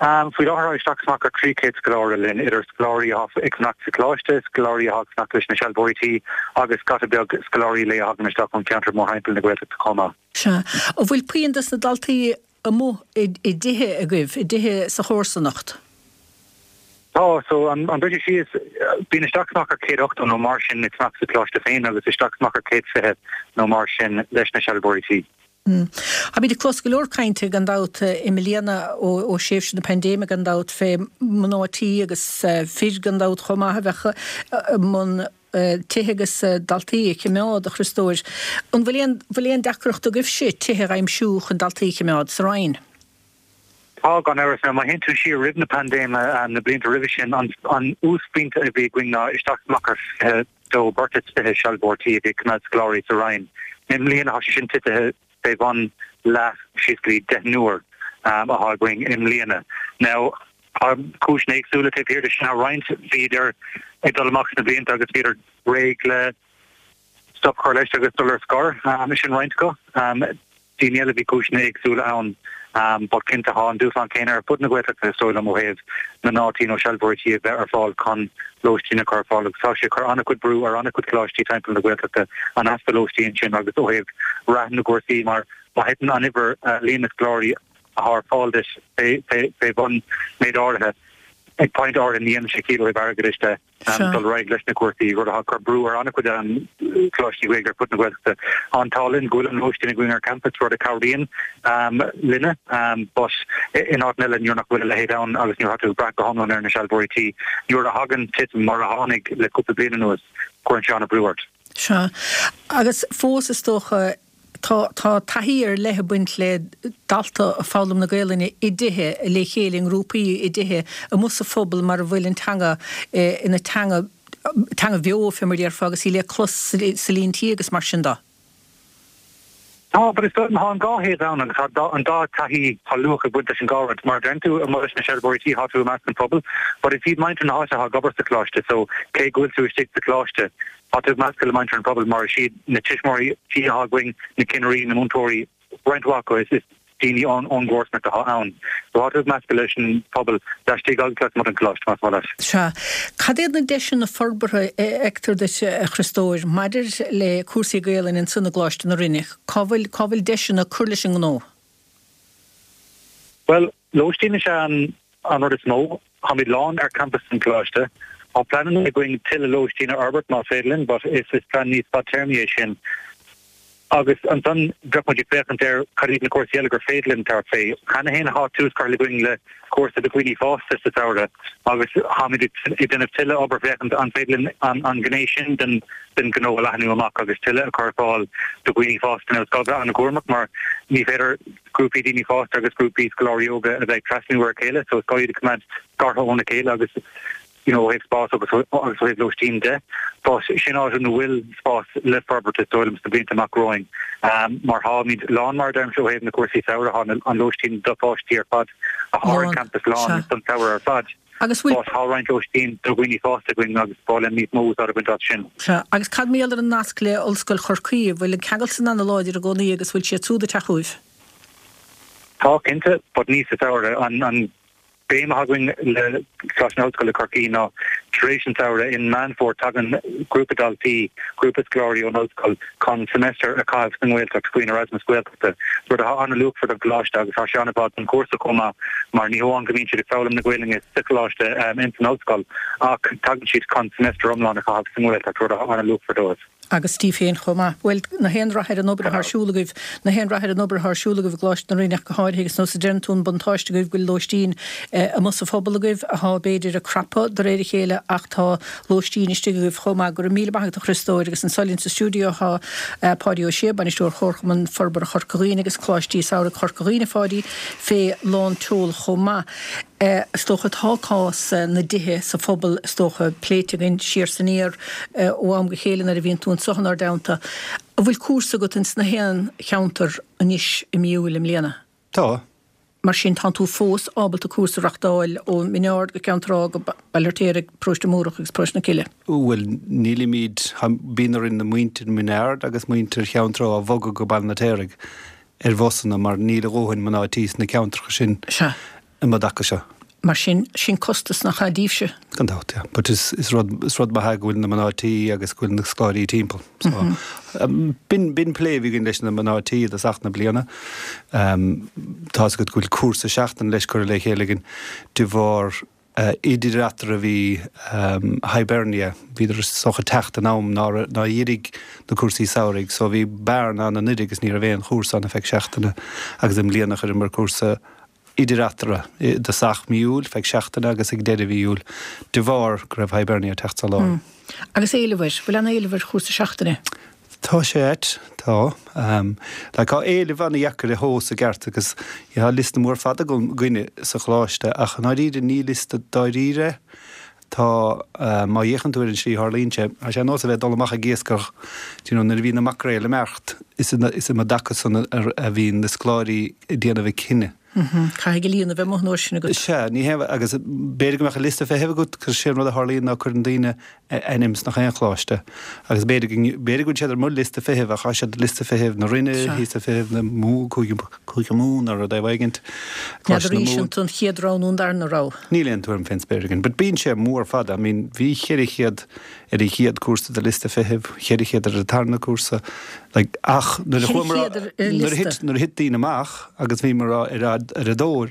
F: Faoi láthair tá isteach is amach ar 300 scoláire linn, idir scoláirí atá ag fanacht sa choláiste, scoláirí atá ag fanacht leis na sealbhóirí tí agus scata beag scoláirí lae a thagann isteach ón cheantar mórthimpeall na Gaeltachta chomh maith.
A: Sea. An bhfuil puinn dos na daltaí amuigh i dtithe agaibh, i dtithe sa chomharsanacht?
F: Tá, so an briseadh síos, bíonn isteach is amach ar 180 nó mar sin ag fanacht sa choláiste féin agus isteach is amach ar 120 nó mar sin leis na sealbhóirí tí.
A: Táimid ag clos go leor cainte gan dabht i mbliana ó thréimhse na paindéime gan dabht fé mná tí agus fir gan dabht chomh maith a bheadh i mbun tithe agus daltaí a chimeád, a Chriostóir. An bhfuil aon bhfuil aon deacracht agaibhse tithe a aimsiú chun daltaí a chimeád sa Rinn?
F: Tá, gan amhras. Now má théann tú siar roimh na paindéime, na blianta roimhe sin, an an uasphointe a bhí againn ná isteach is amach ar 22, beirt is 20 sealbhóir tí a bhí ag coimeád scoláirí sa Rinn. I mbliana tá sé sin titithe fé bhun leath, síos go dtí deichniúr. atá againn i mbliana. Now, tá cúiseanna éagsúla taobh thiar de sin. Tá roinnt, bhíodar ag dul amach sna blianta agus bhíodar réidh le stop a chur leis agus dul ar scor. Sin roinnt acu. Daoine eile, bhí cúiseanna éagsúla ann but cinnte tá an dúshlán céanna ar fud na Gaeltachta is dóigh liom ó thaobh mná tí nó sealbhóirí tí a bheith ar fáil chun lóistín a chur ar fáil agus tá sé ag cur an-chuid brú ar an-chuid coláistí timpeall na Gaeltachta an easpa lóistín sin agus ó thaobh rath na gcúrsaí mar má thiteann an uimhir líon na scoláirí atá ar fáil duit fé bhun méid áirithe ag pointe áirithe ní dhéanann sé ciall ó thaobh airgeadais de. dul ar aghaidh leis na cúrsaí, rud atá ag cur brú ar an-chuid coláistí Gaeilge ar fud na Gaeltachta. Tá an t-ádh linn go bhfuil an lóistín againn ar campas, rud a chabhraíonn linne, but in áiteanna eile nuair nach bhfuil a leithéid ann agus nuair atá tú ag brath go hiomlán ar na sealbhóirí tí, nuair a thagann titim mar a tháinig le cúpla bliain anuas, cuireann sé an-bhrú ort.
A: Sea. Agus fós is dócha Tá tá taithí ar leith ag baint le dalta ag foghlaim na Gaelainne i dtithe, le chéile i ngrúpaí i dtithe, amuigh sa phobal mar a bhfuil an teanga ina teanga teanga bheo fé mar a déarfá agus í le clos sa líon tí agus mar sin de.
F: Tá, but is dóigh liom tá an dá thaobh ann agus tá an dá taithí, tá luach ag baint leis an dhá rud. Mar a deireann tú, amuigh leis na sealbhóirí tí, tá tú i measc an phobail, but is iad muintir na háite atá ag obair sa choláiste so cé go bhfuil tú istigh sa choláiste, Tá tú ag meascadh le muintir an phobail mar is iad na tuismitheoirí tí atá againn, na cinnirí, na múinteoirí, roinnt mhaith acu is daoine ón gcomharsanacht atá ann. So tá tú ag meascadh leis an phobal laistigh agus lasmuigh den choláiste, más maith leat.
A: Sea. Cad iad na deiseanna forbartha a fheictear duit, a Chriostóir, maidir le cúrsaí Gaelainne ansan i gColáiste na Rinne? Cá bhfuil, cá bhfuil deiseanna cur leis an ngnó?
F: Bhuel, lóistín is ea an rud is mó. Táimid lán ar campas an choláiste. Tá pleananna againn tuilleadh lóistín a fhorbairt más féidir linn but is plean níos fadtéarmaí é sin. Agus ansan bheadh muid ag féachaint ar cad iad na cúrsaí eile gur féidir linn tabhairt fé. Cheana féin tá tús curtha againn le cúrsa do dhaoine fásta sa samhradh agus táimid ag déanamh tuilleadh obair féachaint an féidir linn an ghné sin den den ghnó a leathnú amach agus tuilleadh a chur ar fáil do dhaoine fásta. Now is gá bheith an-chúramach mar ní féidir grúpaí daoine fásta agus grúpaí scoláirí óga a bheith ag trasnú ar a chéile so is gá iad a choimeád scartha óna chéile agus you know ó thaobh spás agus agus ó thaobh lóistín de. But sin áit ina bhfuil spás le forbairt is dóigh liom sna blianta amach romhainn. Mar táimid lán mar a deirimse ó thaobh na cúrsaí samhraidh, tá an lóistín do pháistí ar fad atá ar an
A: Lán,
F: campas lán
A: sea.
F: don samhradh ar fad.
A: Agus bhfuil.
F: But tá roinnt lóistín do dhaoine fásta againn agus ba mhaith linn níos mó úsáid a bhaint as sin.
A: Sea. Agus cad mar gheall ar an nasc le Ollscoil Chorcaí? An bhfuil an ceangal san ana-láidir i gcónaí agus bhfuil siad súd ag teacht chugaibh?
F: Tá, cinnte, but ní sa samhradh. An béim atá againn le Coláiste na hOllscoile Corcaí ná tar éis an tsamhraidh, in Meán Fómhair, tagann grúpa daltaí, grúpa scoláirí ón ollscoil chun semester a chaitheamh sa nGaeltacht faoin Erasmus Gaeltachta, rud atá an-luachmhar don choláiste agus tá sé an-mhaith don chúrsa chomh maith mar ní hamháin go mbíonn siad ag foghlaim na Gaelainne sa choláiste ins an ollscoil ach tagann siad chun semester iomlán a chaitheamh sa nGaeltacht, rud atá an-luachmhar dóibh.
A: Agus daoibh féin chomh maith. Bhuel, na haon rath ar an obair atá ar siúl agaibh, na haon rath ar an obair atá ar siúl agaibh i gColáiste na Rinne ach go háirithe agus nós a deireann tú an buntáiste agaibh go bhfuil lóistín amuigh sa phobal agaibh atá b'fhéidir ag crapadh de réir a chéile ach tá lóistín istigh agaibh chomh maith. Go raibh míle maith agat a Chriostóir agus anso linn sa stiúideo tá Páidí Ó Sé, Bainisteoir Chomharchumann Forbartha Chorca Dhuibhne agus Coláistí Samhraidh Chorca Dhuibhne, a Pháidí, fé lán tseoil chomh maith. Is dócha tá cás na dtithe sa phobal is dócha pléite againn siar 's aniar ó am go chéile nuair a bhíonn tú anso inár dteannta. An bhfuil cúrsa agat ins na haon cheantar anois i mí Iúil i mbliana?
G: Tá.
A: Mar sin tánn tú fós ábalta cúrsa a reachtáil ó Mhín Aird go Ceann Trá go Baile Fheirtéaraigh, Paróiste Múrach agus Paróiste na Cille.
G: Bhuel nílimid, bíonn orainn na muintir Mhín Aird agus muintir Cheann Trá a bhogadh go Baile an Fheirtéaraigh ar bhusanna mar níl a dhóthain mná tí sna ceantracha sin.
A: Sea.
G: um an dtaca seo.
A: Mar sin, sin costas nach ea daoibhse?
G: Gan dabht, yeah. But is, is rud, is rud maith é go bhfuil na mná tí agus go bhfuil na scoláirí timpeall. So, b'in, b'in plé a bhí againn leis na mná tí i dtosach na bliana. Tá's agat go bhfuil cúrsa seachtaine leis curtha le chéile againn de bharr idir eatarthu bhí Hibernia, bhíodar is dócha ag teacht in am nár, nár dhírigh na cúrsaí samhraidh so bhí bearna ann anuraidh agus ní raibh aon chúrsa ann ar feadh seachtaine agus i mbliana chuireamar cúrsa idir eatarthu, i dtosach mí Iúil, feadh seachtaine agus ag deireadh mhí Iúil, de bharr go raibh Hibernia ag teacht sa lár.
A: Agus éileamh air? Bhfuil an-éileamh ar chúrsa seachtaine?
G: Tá sé ait, tá. Like, tá éileamh an-dheacair a thomhas i gceart agus tá liosta mór fada againne sa choláiste ach i ndáiríre ní liosta dáiríre é. Tá, má fhéachann tú ar an slí a tharlaíonn sé, tá sé ar nós a bheith ag dul amach ag iascach, do you know, nuair a bhíonn na maicréil ag imeacht, is um an dtaca san a bhíonn na scoláirí ag déanamh a cinneadh.
A: Caithfidh an líon a bheith amuigh an uair sin agat.
G: Sea, ní hé, agus b'fhéidir go mbeadh an liosta feithimh agat, cos sé an rud a tharlaíonn ná cuireann daoine a ainm sna chaon choláiste agus b'fhéidir go, b'fhéidir go bhfuil siad ar mo liosta feithimh ach tá siad ar liosta feithimh na Rinne, liosta feithimh na Mumhan, Cúige, Cúige Mumhan nó rud éigint,
A: Coláiste na Mumhan. N'fheadar an tú an chéad rogha nó an darna rogha.
G: Níl aon tuairim fén spéir againn, but bíonn sé mór fada, I mean bhí 400 ar an chéad cúrsa de liosta feithimh, 400 ar an tarna cúrsa, like, ach nuair a chuamar, nuair a thit, nuair a thit daoine amach agus bhíomar ar a, ar a dtóir,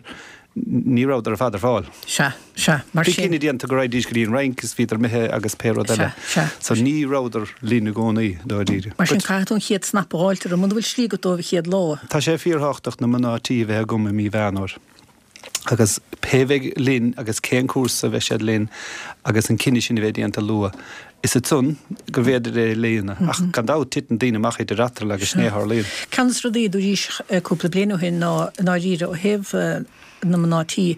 G: ní rabhadar ar fad ar fáil.
A: Sea, sea, mar
G: sin. Bhí cinneadh déanta go raghaidís go dtí an Fhrainc is bhíodar imithe agus pé rud eile.
A: Sea, sea.
G: So ní rabhadar linn i gcónaí, dáiríre.
A: Mar sin caithfidh tú an chéad snap a dh'fháilt orthu, muna bhfuil slí agat dóibh an chéad lá.
G: Tá sé fíorthábhachtach na mná tí a bheith agam i mí Mheán Fhómhair. Agus pé bheidh linn agus cén cúrsa a bheidh siad linn agus an cinneadh sin a bheith déanta luath, is ansan gur bhféidir é a líonadh. Ach gan dabht titeann daoine amach idir eatarthu agus sin é a tharlaíonn.
A: Ceann de na rudaí a dúraís cúpla bliain ó shin ná i ndáiríre ó thaobh na mná tí,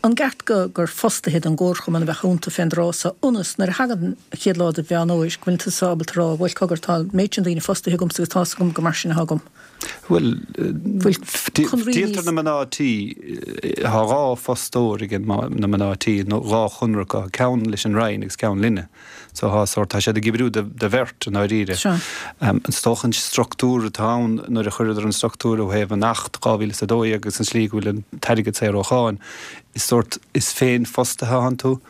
A: an gceart go gur fostaithe don gcomharchumann a bheadh iontu fén dtráth so ionas nuair a thagann an chéad lá de Mheán Fhómhair go bhfuil tusa ábalta a rá bhuel cogar tá an méid sin daoine fostaithe agamsa agus tá's agam gur mar sin atá agam.
G: Bhuel, díoltar na mná tí, tá dhá fostóir ag na mná tí, nó dhá chonradh acu, ceann leis an Roinn agus ceann linne. So tá sórt, tá siad ag oibriú do bheirt i ndáiríre. Is dócha an struchtúr atá ann nuair a chuireadar an struchtúr ó thaobh an Acht 2012 agus an slí go bhfuil an t-airgead saor ó cháin, is sórt, is féinfhostaithe atánn tú.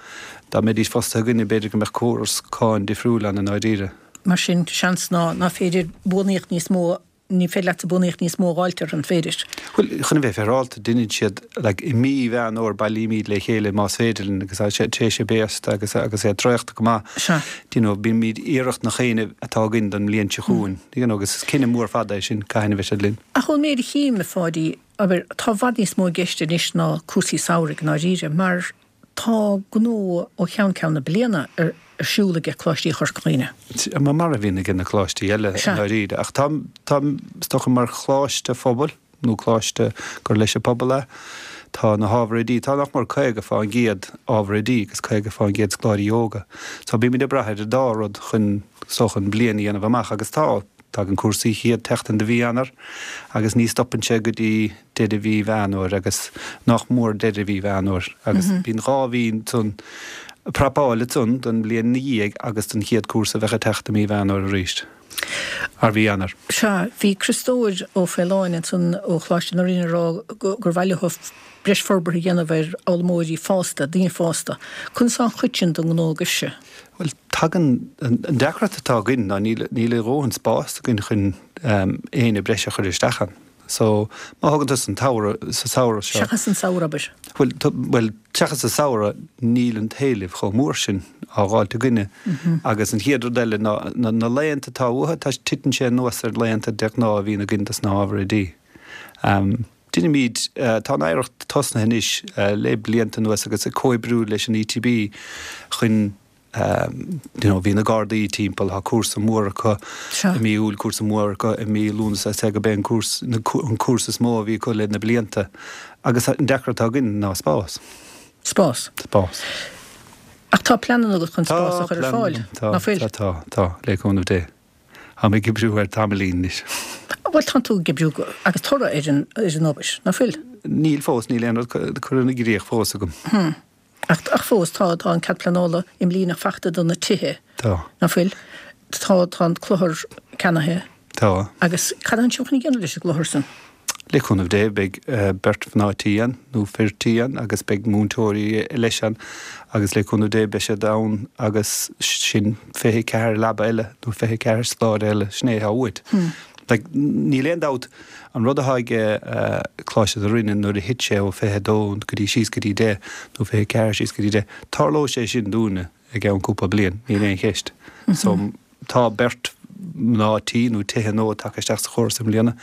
G: Dá mbeidís fostaithe againne b'fhéidir go mbeadh córas cáin difriúil ann i ndáiríre.
A: Mar sin, seans ná ná féidir buanaíocht níos mó, ní féidir leatsa buanaíocht níos mó a dh'fháilt orthu, an féidir?
G: Bhuel, chun a bheith féaráilte, deineann siad, like, i mí Mheán Fhómhair bailímid le chéile más féidir linn agus tá sé tar éis béasta agus agus é traochta go maith.
A: Sea.
G: Do you know, bímid iarracht na chaoine atá againn don mbliain seo chugainn, you know, agus is cinneadh mór fada é sin, cathain a bheidh siad linn.
A: Ach ón méid a chím, a Pháidí, abair, tá i bhfad níos mó i gceist anois ná cúrsaí samhraidh, i ndáiríre, mar Tá gnó ó cheann ceann na bliana ar siúl aige Coláistí Chorca Dhuibhne.
G: Mar a bhíonn aige na coláistí eile i ndáiríre. Ach tá, tá, is dócha mar choláiste phobail nó coláiste gur leis an pobal é, tá na hábhair oidí, tá nach mór 50 fán gcéad ábhar oidí agus 50 fán gcéad scoláirí óga. So bímid ag brath ar an dá rud chun, is dócha, an bliain a dhéanamh amach agus tá, tagann cúrsaí chéad tseachtain de mhí Eanáir agus ní stopann sé go dtí deireadh mhí Mheán Fhómhair agus nach mór deireadh mhí Mheán Fhómhair agus bíonn 2 mhí ansan prapáil ansan don bhliain ina dhiaidh agus don chéad cúrsa a bheadh ag teacht i mí Mheán Fhómhair arís, ar mhí Eanáir.
A: Sea, bhí Criostóir Ó Faoláin ansan ó Choláiste na Rinne ag rá gur mhaith leo breis forbartha a dhéanamh ar fhoghlaimeoirí fásta, daoine fásta. Conas tá an chuid sin den ngnó agaibhse?
G: Bhuel, tagann, an deacracht atá againn ná níl, níl a dhóthain spáis againn chun éinne breise a chur isteach ann. So, má thagann tú san tsamhradh, sa samhradh
A: seo. Seachas an samhradh, abair.
G: Bhuel, bhuel, seachas sa samhradh, níl an t-éileamh chomh mór sin á dh'fháilt againne. Agus an chéad rud eile ná, na, na laethanta atá uathu, tá, titeann sé anuas ar laethanta de ghnáth a bhíonn againn dos na hábhair oidí. Deinimid, tá an iarracht tosnaithe anois le blianta anuas agus ag comhoibriú leis an ETB chun, you know, bhí na Gardaí timpeall, tá cúrsa mór acu i mí Iúil, cúrsa mór acu i mí Lúnasa, is é go b'é an cúrsa, an cúrsa is mó a bhí acu le na blianta. Agus an deacracht atá againn ná spás.
A: Spás.
G: Spás.
A: Ach tá pleananna agat chun spás a chur ar fáil,
G: ná fuil? Tá, tá, tá, le cúnamh Dé. Táim ag oibriú air tamaillín anois.
A: Bhuel, tánn tú ag oibriú agus toradh ar an, ar an obair, ná fuil?
G: Níl fós, níl aon rud curtha i gcrích fós agam.
A: Hm. Ach, ach fós, tá, tá an cead pleanála imlíneach faighte do na tithe.
G: Tá.
A: Ná fuil? Tá, tá an clochar ceannaithe.
G: Tá.
A: Agus cad atánn sibh chun a dhéanamh leis an gclochar san?
G: Le cúnamh Dé, beidh beirt mhná tí ann, nó fir tí ann, agus beidh múinteoirí leis ann, agus le cúnamh Dé beidh siad ann agus sin 24 leaba eile, nó 24 scoláire eile, sin é atá uait. Like, níl aon dabht, an rud atá ag Coláiste na Rinne nuair a thit sé ó 22 go dtí síos go dtí 10, nó 24 síos go dtí 10, tarlóidh sé sin dúinne i gceann cúpla bliain, níl aon cheist. So, tá beirt mná tí nó tithe nua tagtha isteach sa chóras i mbliana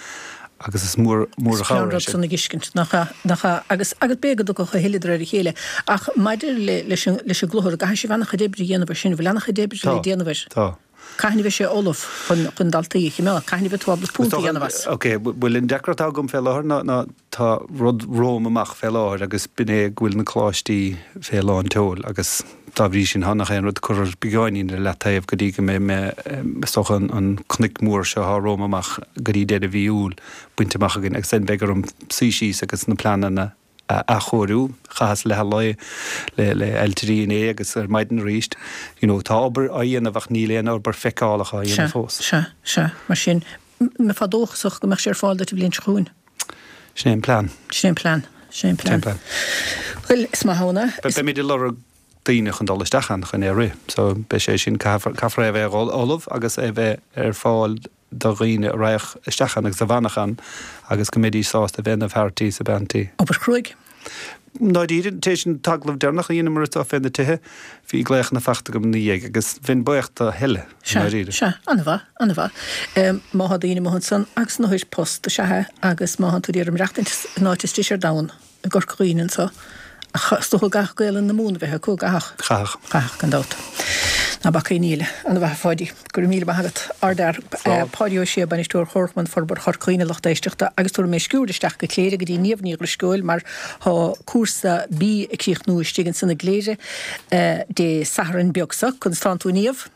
G: agus is mór, mór an chabhair
A: é sin. Is rud san a fheiscint, nach ea, nach ea. Agus, agus b'fhéidir go dtiocfadh a thuilleadh de réir a chéile. Ach maidir le, leis an, leis an gclochar, an gcaithfidh sibh an-chuid oibre a dhéanamh air sin, bhfuil an-chuid oibre le déanamh air?
G: Tá, tá.
A: Cathain a bheidh sé ullamh chun chun daltaí a chimeád? Cathain a bheidh tú ábalta punt a dhéanamh as?
G: Ok, bhuel an deacracht atá agam fé láthair ná ná tá rud romham amach fé láthair agus b'in é go bhfuil na coláistí fé lán tseoil agus dá bhrí sin tá nach aon rud curtha beagáinín ar leataobh go dtí go mbeidh mé is dócha an cnoic mór seo atá romham amach go dtí deireadh mhí Iúil bainte amach againn agus then beidh orm suí síos agus na pleananna a athchóiriú. Chaitheas leath an lae le le ailtirí inné agus ar maidin arís. You know, tá obair á dhéanamh ach níl aon obair feiceálach á dhéanamh
A: fós. Sea, sea, sea. Mar sin, mbeifeá dóchasach go mbeadh sé ar fáil duit an bhliain seo chugainn?
G: Sin é an plean.
A: Sin é an plean. Sin é an plean. Sin é an plean. Bhuel, is maith ann é.
G: Beimid ag lorg daoine chun dul isteach ann chun é a rith. So, beidh sé sin, caithfear é a bheith ullamh agus é a bheith ar fáil do dhaoine a raghadh isteach ann agus a bhfanfadh ann agus go mbeidís sásta a bheith ina bhfear tí is a bean tí.
A: Obair chruaidh.
G: Ndáiríre, tar éis an t-agallamh deireanach a dheineamar anseo fé na tithe, bhí glaochanna fachta agam ina dhiaidh agus bheinn buíoch do thuilleadh,
A: i ndáiríre. Sea, sea, an-mhaith, an-mhaith. Má thá daoine amuigh ansan agus in áthair post is ea é agus má thánn tú ag iarraidh maireachtaint in áit is deise ar domhan, i gCorca Dhuibhne anso. Ach is dócha go gcaithfeadh Gaelainn na Mumhan a bheith acu, gcaithfeadh?
G: Chaithfeadh.
A: Chaithfeadh, gan dabht. Ná bac aon ní eile. An-mhaith, a Pháidí. Go raibh míle maith agat. Ardfhear. Páidí Ó Sé, Bainisteoir Chomharchumann Forbartha Chorca Dhuibhne, lucht éisteachta, agus tabharfaidh mé sciuird isteach go Cléire go dtí Niamh Ní Dhrisceoil mar thá cúrsa bídh ag críochnú istigh ansan i gCléire Dé Sathairn beag so. Conas tánn tú a Niamh?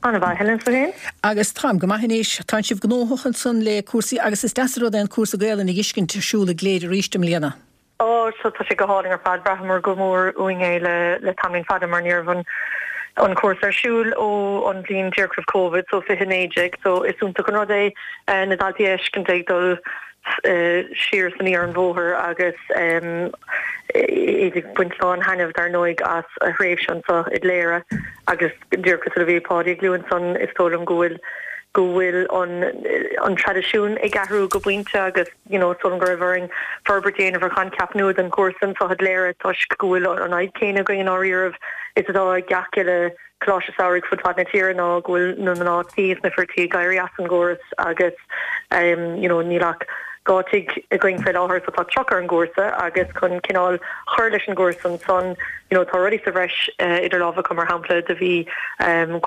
H: An-mhaith, Helen, 's tú féin?
A: Agus táim go maith anois. Tánn sibh gnóthach ansan le cúrsaí agus is deas an rud é an cúrsa Gaelainne a dh'fheiscint ar siúl i gCléire arís i mbliana.
H: Ó, so tá sé go hálainn ar fad. Bhraitheamar go mór uainn é le le tamaillín fada mar ní raibh an an cúrsa ar siúl ó an bhliain díreach roimh Covid, so 2019. So is iontach an rud é na daltaí a fheiscint ag dul siar is aniar an bhóthar agus iad ag baint lán thaitneamh dar ndóigh as a thréimhse anseo i gCléire agus díreach cosúil le bhí Páidí ag lua ansan is dóigh liom go bhfuil go bhfuil an an traidisiún ag athrú go pointe agus you know is dóigh liom go raibh orainn forbairt a dhéanamh ar choincheap nua don chúrsa anseo i gCléire toisc go bhfuil an fhadhb céanna againn i ndáiríribh is atá ag gach uile Coláiste Samhraidh fud fad na tíre ná go bhfuil na mná tí is na fir tí ag éirí as an gcóras agus you know níl ach 2 tigh againn fé láthair so tá 30 ar an gcúrsa agus chun cineál chur leis an gcúrsa ansan you know tá rudaí sa bhreis idir lámha acu mar shampla do bhí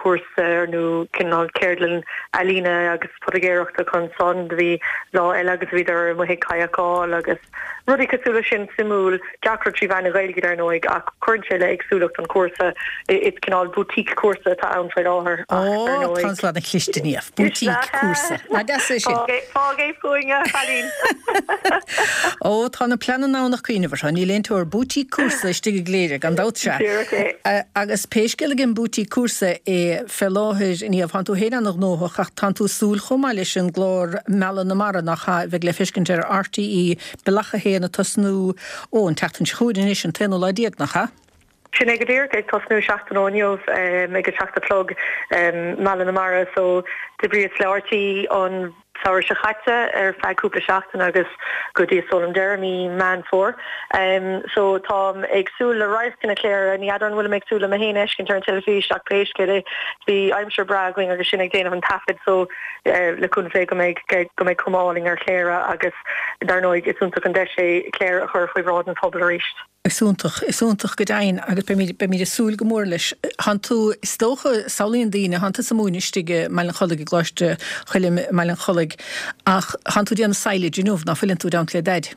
H: cúrsa nó cineál ceardlann ealaíne agus poitigéireachta acu ansan do bhí lá eile agus bhíodar amuigh ag kayakáil agus Rudaí cosúil leis sin, suimiúil, gach rud trí mheán na Gaeilge dar ndóigh, ach cuireann sé le éagsúlacht an chúrsa. Is cineál boutique cúrsa atá ann faoi láthair
A: ach ar Ó, ndóigh. tá an cliste Niamh. Boutique cúrsa. Nach deas é sin?
H: Fág é, fág é fúinn, a chailín.
A: Ó, tá na pleananna ann ach cuimhneamh orthu. Níl aon teoir. Boutique cúrsa istigh i gCléire, gan dabht sea.
H: Díreach é.
A: Agus pé scéal ag an boutique cúrsa é fé láthair, Niamh, tánn tú féin ana-ghnóthach ach tánn tú ag súil chomh maith leis an gclár Mealladh na Mara nach ea, a bheidh le feiscint ar RTÉ Bealach 1 ag tosnú, ó, an tseachtain seo chugainn anois, an t-aonú lá déag, nach ea?
H: Sin é go díreach, ag tosnú seachtain ó inniu ag a seacht a chlog, Mealladh na Mara, so d'oibríos le RTÉ an samhradh seo chaite ar feadh cúpla seachtain agus go dtí is dóigh liom deireadh mí Meán Fómhair. So táim ag súil le radharcanna Chléire, ní fheadar an bhfuilim ag súil le mé féin a fheiscint ar an teilifís ach pé scéal é bhí aimsir breá againn agus sinn ag déanamh an taifid so le cúnamh Dé go mbeidh go mbeidh cuma álainn ar Chléire agus dar ndóigh is iontach an deis é Cléire a chur faoi bhráid an phobail arís.
A: Is iontach, is iontach go deimhin agus beimid, beimid ag súil go mór leis. Thánn tú, is dócha, samhlaíonn daoine, thánn tusa ag múineadh istigh i mBaile an Chollaigh, i gColáiste Choilm i mBaile an Chollaigh ach thánn tú ag déanamh silage inniu, ná fuileann tú, i dteannta le Daid?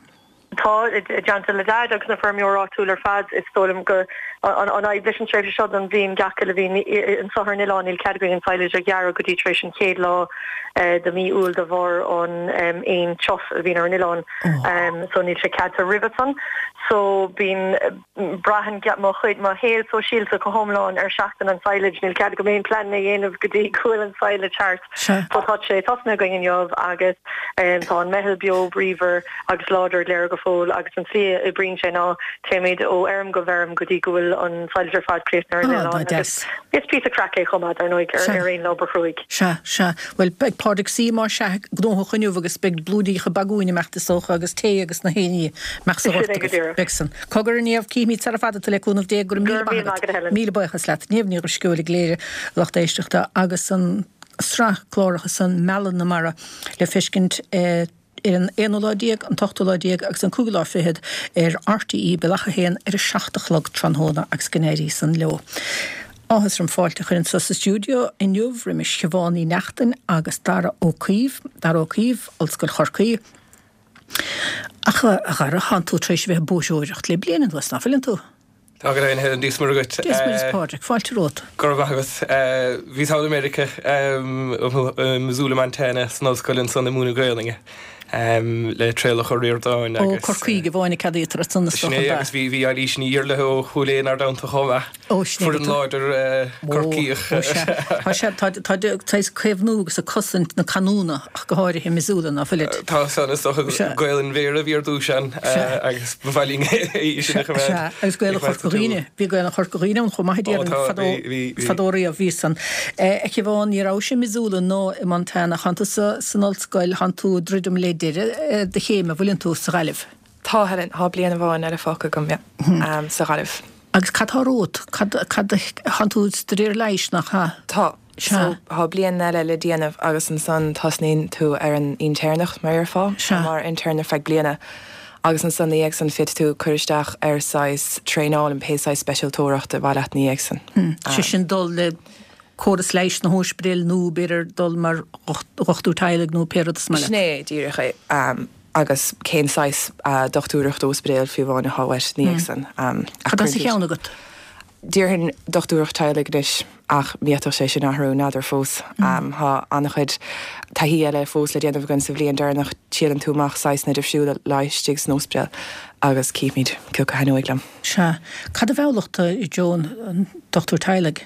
H: Tá, i dteannta le Daid agus na feirmeoirí áitiúil ar fad. Is dóigh liom go, an fhadhb leis an tréimhse seo den bhliain gach uile bhliain anseo ar an oileán, níl cead againn an silage a ghearradh go dtí tar éis an chéad lá de mhí Iúil de bharr an éan tiuf a bhíonn ar an oileán. So níl sé ceadaithe roimhe san. So bíonn, braitheann mo chuid, mo shaol sóisialta go hiomlán ar seachtain an silage. Níl cead agam aon pleananna a dhéanamh go dtí go bhfuil an silage thart. So tá sé tosnaithe againn inniu agus tá an meitheal beo bríomhar agus láidir i gCléire go fóill agus an tslí a oibríonn sé ná téimid ó fheirm go feirm go dtí go bhfuil an silage ar fad críochnaithe ar an oileán agus is píosa craic é chomh maith dar ndóigh ar aon lá obair chruaidh.
A: Sea, sea. Bhuel, beidh Pádraig C. más ea, gnóthach inniu agus beidh blúiríocha bagúin ag imeacht is dócha agus tae agus na haon ní a mbeadh sa ghort
H: agat.
A: Beidh san. Cogar, a Niamh, cífimid sara fada tú le cúnamh Dé. Go raibh míle maith agat. Míle buíochas leat. Niamh Ní Dhrisceoil i gCléire, lucht éisteachta, agus an sraith cláracha san, Mealladh na Mara, le feiscint ar an aonú lá déag, an t-ochtú lá déag agus an cúigiú lá fichead ar RTÉ Bealach 1 ar a 7 a chlog tráthnóna agus go n-éirí san leo. Áthas orm fáilte a chur anso sa stiúideo inniu roimis Siobhán Ní Neachtain agus Dara Ó Caoimh, Dara Ó Caoimh, Ollscoil Chorcaí. Ach a Dhara, thánn tú tar éis a bheith ag bóithreoireacht le bliain anuas, ná fuileann tú?
I: Tá go deimhin, Helen, Dia 's Muire dhuit.
A: Dia 's Muire 's Pádraig, fáilte romhat.
I: Go raibh maith agat. Bhíos thall i Meiriceá, i Missoula, Montana, san ollscoil ansan ag múineadh Gaelainne le Traolach Ó Ríordáin
A: agus. Ó Corcaígh amháin a ceadaítear ansan is
I: dócha, Sin é, agus bhí Eilís Ní Iarlaithe ó Chúil Aodha inár dteannta chomh maith.
A: Ó, sin é
I: Foireann láidir Corcaíoch.
A: Ó, sea. Tá sé, tá, tá, tá ag caomhnú agus ag cosaint na canúna ach go háirithe i Missoula, ná fuilid?
I: Tá san, is dócha, Gaelainn Bhéara a bhí ar dtús ann agus ba mhaith linn í sin a choimeád.
A: Sea, agus Gaelainn Chorca Dhuibhne. Bhí Gaelainn Chorca Dhuibhne ann chomh maith, a déarfainn, fadó, fadó riamh, bhí san. A Shiobhán, ní rabhais i Missoula ná i Montana, thánn tusa san ollscoil, thánn tú ag druidim le deireadh do chéime, an bhfuileann tú, sa Ghaillimh?
J: Tá, Helen, tá bliain amháin eile fágtha agam, yeah, sa Ghaillimh.
A: Agus cad tá romhat? Cad, cad, thánn tú ag staidéar leighis, nach ea?
J: Tá. So, tá bliain eile le déanamh agus ansan tosnaíonn tú ar an intéirneacht, mar a déarfá,
A: Sea.
J: mar intern ar feadh bliana agus ansan ina dhiaidh san féadfaidh tú cur isteach ar saghas traenáil in pé saghas speisialtóireacht ar mhaith leat ina dhiaidh san.
A: Sé sin dul le córas leighis na hóispidéil nó b'fhéidir dul mar dhochtúir teaghlaigh nó pé rud is maith leat.
J: Sin é díreach é. Agus cén saghas dochtúireacht óispidéil fiú amháin atá uait ina dhiaidh san.
A: Cad tá sa cheann agat?
J: Déarfainn dochtúireacht teaghlaigh anois ach d'fhéadfadh sé sin athrú, n'fheadar fós. Tá an-chuid taithí eile fós le déanamh againn sa bhliain deireanach, triaileann tú amach saghsanna difriúla leighis istigh san óispidéal agus cífimid cé acu a thaitneoidh liom.
A: Sea. Cad a mheallfadh tú i dtreo an dochtúir teaghlaigh?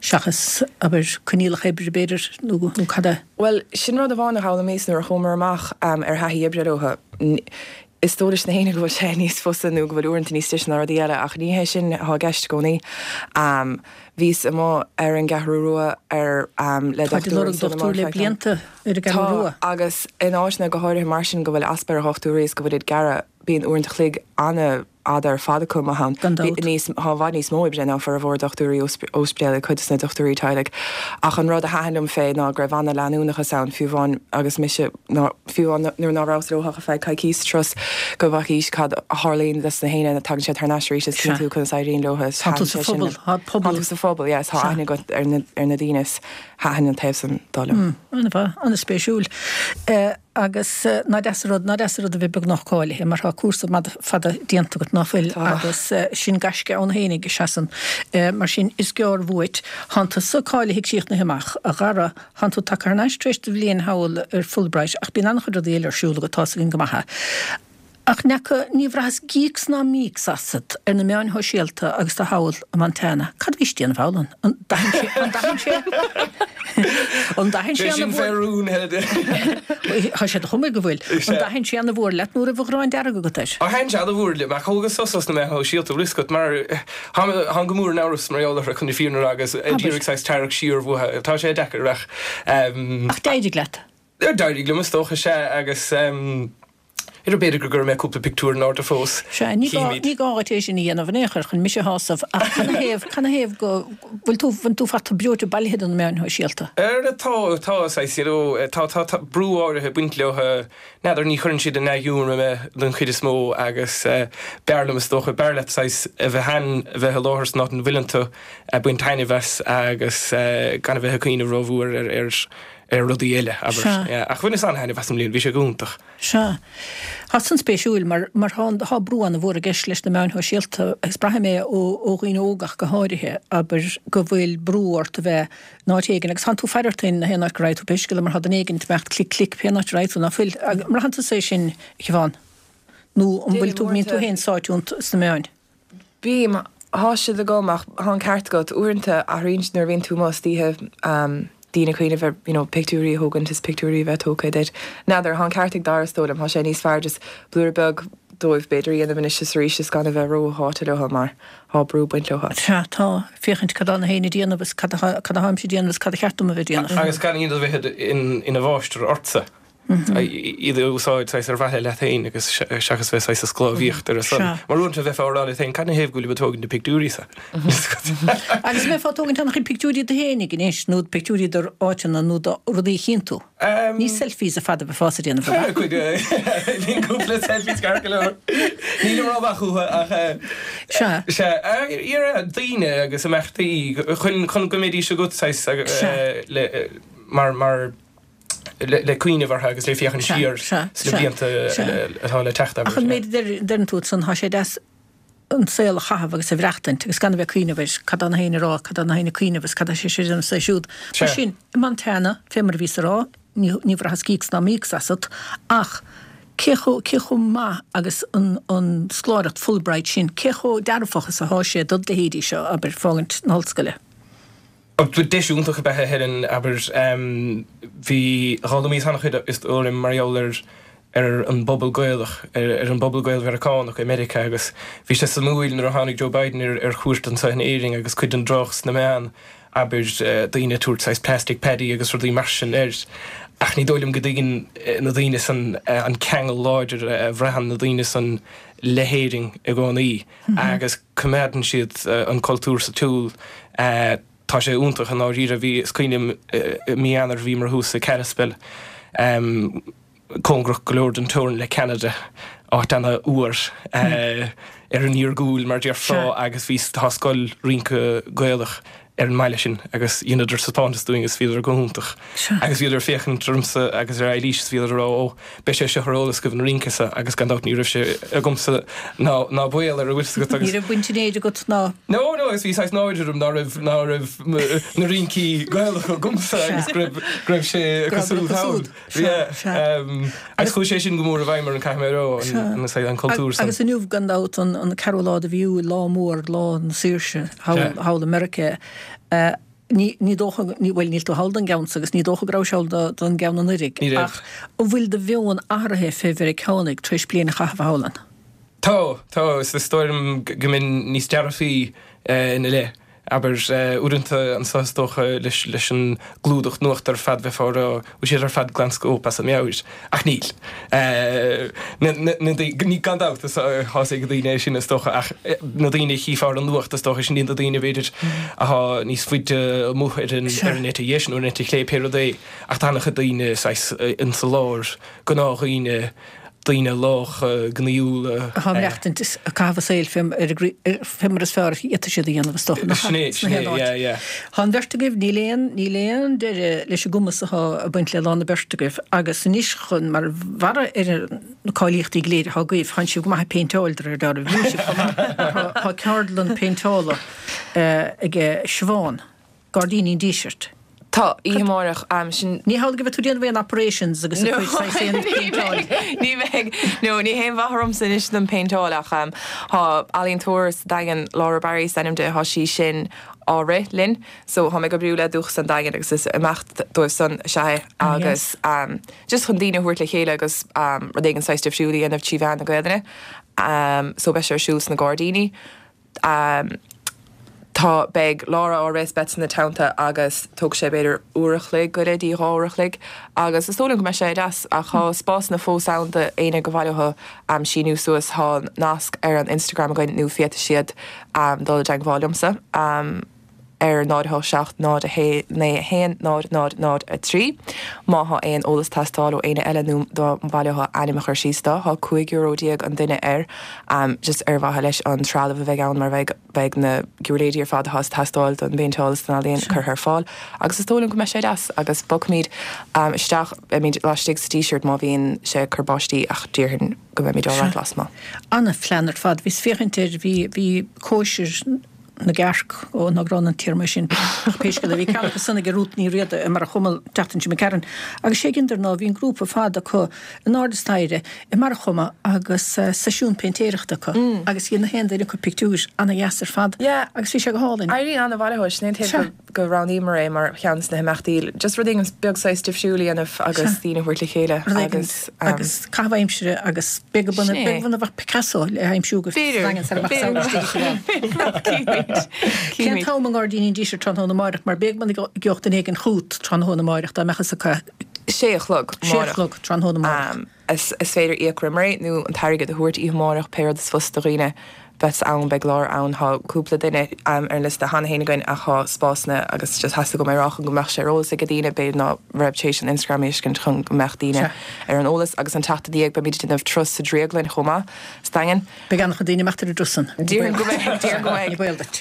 A: Seachas, abair, coinníollacha oibre, b'fhéidir, nó cad é?
J: Bhuel, sin rud amháin a d'fhoghlaimíos nuair a chuamar amach ar thaithí oibre leo. Is dóigh leis na héinne go bhfuil sé níos fusa nó go bhfuil uaireanta níos deise ná rudaí eile, ach ní hé sin atá i gceist i gcónaí. Bhíos amuigh ar an gCeathrú Rua ar le
A: Táid ag
J: dochtúir
A: lorg
J: ansan
A: dochtúir
J: amuigh
A: le
J: ar feadh tamaill.
A: blianta ar an gCeathrú
J: Tá,
A: Rua.
J: agus in áiteanna go háirithe mar sin go bhfuil easpa ar dhochtúirí is go bhfuil ag gearradh, bíonn uaireanta a chloig ana fhada ar fad acu amuigh ann.
A: Gan dabht.
J: Níos, tá i bhfad níos mó oibre ná formhór dochtúirí óispidéil ag cuid de na dochtúirí teaghlaigh. Ach an rud a thaitin liom fé ná go raibh ana-leanúnachas ann, fiú amháin agus mise, ná, fiú amháin nuair ná rabhas leo ach ar feadh coicís sa turas, go bhfacaís cad a tharlaíonn leis na héinne, tagann siad thar n-ais arís is
A: Sea.
J: cíonn tú conas éiríonn leo is
A: Tá tú
J: thaitin
A: sa
J: sé sin
A: phobal,
J: liom.
A: tá pobal.
J: Tá tú sa phobal, yes, tá
A: Sea.
J: aithne agat ar na, ar na daoine is thaitin an taobh san dó liom.
A: An-mhaith, an-spéisiúil. Agus ná deas an rud, ná deas an rud a bheith beagnach cáilithe mar tá cúrsa fada déanta agat, ná fuil?
J: Tá.
A: Agus sin gaisce ann fhéinig, is ea san. Mar sin, is gearr uait. Thánn tusa cáilithe críochnaithe amach, a Dhara, thánn tú tagtha thar n-ais tar éis do bhliain thall ar Fulbright ach bíonn an-chuid rudaí eile ar siúl agat, tá's againn go maith é. Ach n'fheaca, ní bhraitheas gíocs ná míocs asat ar na meáin shóisialta agus tú thall i Montana. Cad a bhís ag déanamh thall ann? An dtaithin sé, an dtaithin sé, an dtaithin sé
I: Sé sin
A: ana-mhór,
I: fé rún,
A: tá sé de chuma go bhfuil, an dtaithin sé ana-mhór leat nó raibh an ghráin dearg agat air?
I: Ó thaitin sé ana-mhór liom, ach thógas sos os na meáin shóisialta, bhfuil 'fhios agat, mar táim go mór in amhras mar gheall orthu chun na fírinne a rá agus ag iarraidh saghas tarrac siar uathu. Tá sé deacair ach.
A: Ach d'éirigh leat.
I: D'éirigh liom is dócha, sea, agus. B'fhéidir go gcuirfidh mé cúpla pictiúr in airde fós.
A: Sea, ní gá,
I: Chímid.
A: ní gá dhuit é sin a dhéanamh in aon chor chun mise a shásamh, ach canathaobh, canathaobh go bhfuil tú, bhfuil tú fachta breoite bailithe de na meáin shóisialta?
I: Ar, tá, tá, saghas, you know, tá, tá, tá brú áirithe ag baint leo, n'fheadar, ní chuireann siad i ndea-ghiúmar mé den chuid is mó agus b'fhearr liom is dócha, b'fhearr leat saghas a bheith ann, a bheith i láthair san áit ina bhfuileann tú, ag baint taitneamh as agus gan a bheith ag cuimhneamh rómhór ar, ar, ar rudaí eile, abair.
A: Sea.
I: Yeah, ach bhaineas an-thaitneamh as i mbliana, bhí sé go hiontach.
A: Sea. Tá san spéisiúil mar, mar tá, tá brú an-mhór i gceist leis na meáin shóisialta agus braithim é ó, ó dhaoine óga ach go háirithe, abair, go bhfuil brú ort a bheith in áit éigin agus tánn tú ag faire ort féin na haon áit go raghaidh tú pé scéal é mar tá duine éigin ag imeacht clic clic pé áit a raghaidh tú, ná fuil? An mbraitheann tusa é sin, a Shiobhán? Nó an bhfuil tú, mbíonn tú féin sáite iontu sna meáin?
J: Bím. Thá siad agam ach thá an ceart agat. Uaireanta athraíonn siad nuair a bhíonn tú amuigh istoíche, daoine ag cuimhneamh ar you know pictiúirí a thógaint is pictiúirí a bheith tógtha duit. N'fheadar, thá an ceart ag Dara is dóigh liom. Thá sé níos fearr just blúire beag dóibh b'fhéidir a dhéanamh anois is arís is gan a bheith ró-sháite leo mar thá brú ag baint leo.
A: Sea, tá. Féachaint cad tá na héinne ag déanamh is cad atá, cad atháimse ag déanamh is cad a cheart dom a bheith ag déanamh.
I: Agus gan iad a bheith ina mháistir ortsa. Iad a úsáid saghas ar mhaithe leat féin agus seachas bheith saghas ag sclábhaíocht ar a son. Mar uaireanta bheifeá ag rá leat féin, cad ina thaobh go bhfuilim ag tógaint na pictiúirí seo?
A: Agus an mbeifeá ag tógaint an-chuid pictiúirí duit féinig anois nó pictiúirí d'áiteanna nó de rudaí a chíonn tú? Ní selfies ar fad a bheifeása ag déanamh, ab
I: ea? Bíonn cúpla selfies ceart go leor. Nílim rómhaith uathu ach
A: Sea.
I: Sea. Iarraidh daoine agus imeachtaí chun go mbeidís agat saghas le mar mar le cuimhneamh orthu agus le féachaint siar sna blianta atá le teacht,
A: abair. Ach an méid a deireann tú ansan, tá sé deas an saol a chaitheamh agus a mhaireachtaint agus gan a bheith ag cuimhneamh ar cad tá na héinne a rá, cad tá na héinne ag cuimhneamh agus cad tá sé seo ag déanamh is é siúd. Mar sin, i Montana, fé mar a bhíos a rá, ní ní bhraitheas cíocs ná míocs asat, ach cé chomh cé chomh maith agus an an scoláireacht Fulbright sin, cé chomh dearfach is atá sé dod leithéidí seo, abair, fágaint na hollscoile?
I: Deis iontach ab ea é a Helen, abair. Bhí, d'fhoghlaimíos an-chuid is dóigh liom mar gheall ar ar an bpobal Gaelach, ar an bpobal Gael-Mheiriceánach i Meiriceá agus bhí sé suimiúil nuair a tháinig Joe Biden ar ar chuairt anseo in Éirinn agus cuid den dtrácht sna meáin, abair, daoine ag tabhairt saghas plastic Paddy agus rudaí mar sin air. Ach ní dóigh liom go dtuigeann na daoine san an ceangal láidir a bhraitheann na daoine san le hÉirinn i gcónaí. agus coimeádann siad an cultúr sa tsiúl. Tá sé iontach i ndáiríre. Bhí, is cuimhin liom i mí Eanáir bhíomar thuas i Kalispell, cóngarach go leor don teorainn le Ceanada, áit ana-fhuar ar an iargúil mar déarfá agus bhí, tá scoil rince Gaelach ar an mbaile sin agus dheineadar taispeántas dúinn agus bhíodar go hiontach. Agus bhíodar ag féachaint ormsa agus ar Eilís is bhíodar ag rá ó, beidh sé seo ar eolas agaibh an rince seo agus gan dabht ní raibh sé agamsa ná ná baol air an bhfuil fhios agat
A: agus. Ní raibh baint an éid agat ná.
I: No, no agus bhí saghas náire orm ná raibh ná raibh na rincí Gaelacha agamsa agus go raibh go raibh sé cosúil thall.
A: Sea, sea.
I: Agus chuaigh sé sin go mór i bhfeidhm orm caithfidh mé a rá, an cultúr
A: san. Agus inniu, gan dabht, an ceathrú lá de mhí Iúil, lá mór, lá na saoirse thall i Meiriceá. Ní dócha, bhuel, níl tú thall don gceann so agus ní dócha go rabhais thall don gceann anuraidh.
I: Ní raibh.
A: Ach an bhfuil do mheon athraithe fé Mheiriceánaigh tar éis bliain a chaitheamh thall ann?
I: Tá, tá. Is dóigh liom go mbeinn níos dearfaí ina leith. Abair, uaireanta anseo is dócha leis an gclúdach nuachta ar fad bheifeá ag rá bhfuil siad ar fad glanscóip as a meabhair. Ach níl. Ní, gan dabht, is tá fhios ag daoine é sin is dócha ach na daoine a chífeá ar an nuacht is dócha sin iad na daoine b'fhéidir atá níos faide amuigh ar an eite dheis nó ar an eite chlé pé rud é ach tá an-chuid daoine saghas insa lár, gnáthdhaoine, daoine lácha, gnaíúla.
A: Atá ag maireachtaint is ag caitheamh a saoil fé fé mar is fearr a fhéadfaidh siad a dhéanamh is dócha.
I: Sin é, sin é, yeah, yeah.
A: Tá an bheirt agaibh, níl aon, níl aon deireadh leis an gcumas atá ag baint le Lá na beirt agaibh agus anois chun, mar bharra ar na cáilíochtaí go léir atá agaibh, tánn sibh go maith ag péinteáil de réir dealraimh, bhíonn sibh chomh maith mar tá ceardlann péinteála ag Siobhán. Gairdíní an Dísirt.
J: Tá, oíche amárach, sin.
A: Ní hamhlaidh go mbeidh tú ag déanamh aon operations agus ag cuid saghas aon péinteáil.
J: Ní bheidh, no, ní haon mhaith ormsa anois don péinteáil ach tá ealaíontóir sa Daingean, Laura Barry is ainm di, tá sí sin á rith linn so tá mé ag oibriú le Dúchas an Daingin agus is imeacht dóibh san is ea é agus just chun daoine a thabhairt le chéile agus rud éigin saghas difriúil a dhéanamh trí mheán na Gaelainne so beidh sé ar siúl sna gairdíní. Tá, beidh Laura á rith is beadsa ina teannta agus tógfaidh sé b'fhéidir uair a chloig go leith dtí 2 uair a chloig agus is dóigh liom go mbeidh sé deas ach tá spásanna fós ann do éinne gur mhaith leo síniú suas. Tá nasc ar an Instagram againn nó féadfaidh siad dul i dteagmháil liomsa. Ar 0 8 7 0 1 9 1 0 0 0 3. Má thá aon eolas teastáil ó éinne eile nó dá mba mhaith leo ainm a chur síos do, thá €15 euro an duine air, just ar mhaithe leis an trealamh a bheidh ann mar bheidh beidh na giúirléidí ar fad athá ag teastáil don bpéinteáil is don ealaíon curtha ar fáil agus is dóigh liom go mbeidh sé deas agus bogfaimid isteach, beimid laistigh sa Díseart má bhíonn sé ag cur báistí ach déarfainn go mbeimid alright lasmuigh.
A: Ana-phlean ar fad. Bhíos féachaint air, bhí bhí cóisir na gcearc, ó ná grán an téarma sin, ach pé scéal é, bhí ceann acu san ag Rút Ní Riada i mBarra Choma an tseachtain seo imigh tharainn, agus sé a dheineadar ná bhí an grúpa fada acu in airde staighre i mBarra Choma agus seisiún péintéireachta acu agus dhein na haon duine acu pictiúir ana-dheas ar fad agus bhí sé go hálainn.
J: Éiríonn an-mhaith leo, sin é an taobh go. go roghnaíomar é mar cheann de na himeachtaí, just rud éigin beag saghas difriúil a dhéanamh agus daoine a thabhairt le chéile agus.
A: Agus caitheamh aimsire agus b'fhéidir go b'fhéidir go mbeadh Picasso le haimsiú go B'fhéidir,
J: b'fhéidir,
A: b'fhéidir. Cén t-am i nGairdíní an Dísirt tráthnóna amáireach mar b'fhéidir go gheobhadh duine éigin chút tráthnóna amáireach dá mbeadh fhios acu.
J: Sé a chlog
A: Sé a amárach. chlog tráthnóna amárach.
J: Is féidir íoc roimh ré nó an t-airgead a thabhairt oíche amárach, pé rud is fusa do dhaoine. Beidh ann, beidh leabhar ann, tá cúpla duine ar an liosta cheana féin againn ach tá spásanna agus just theastaigh uaim é a rá chun go mbeadh sé ar eolas ag daoine, b'fhéidir ná raibh tar éis an Instagram a fheiscint chun go mbeadh daoine ar an eolas agus an tseachtain ina dhiaidh beimid ag déanamh turas sa Drioglann chomh maith, sa Daingean.
A: Beidh an-chuid daoine ag imeacht ar an dturas san.
J: Déarfainn go mbeidh, déarfainn go mbeidh.
A: Ní baol duit.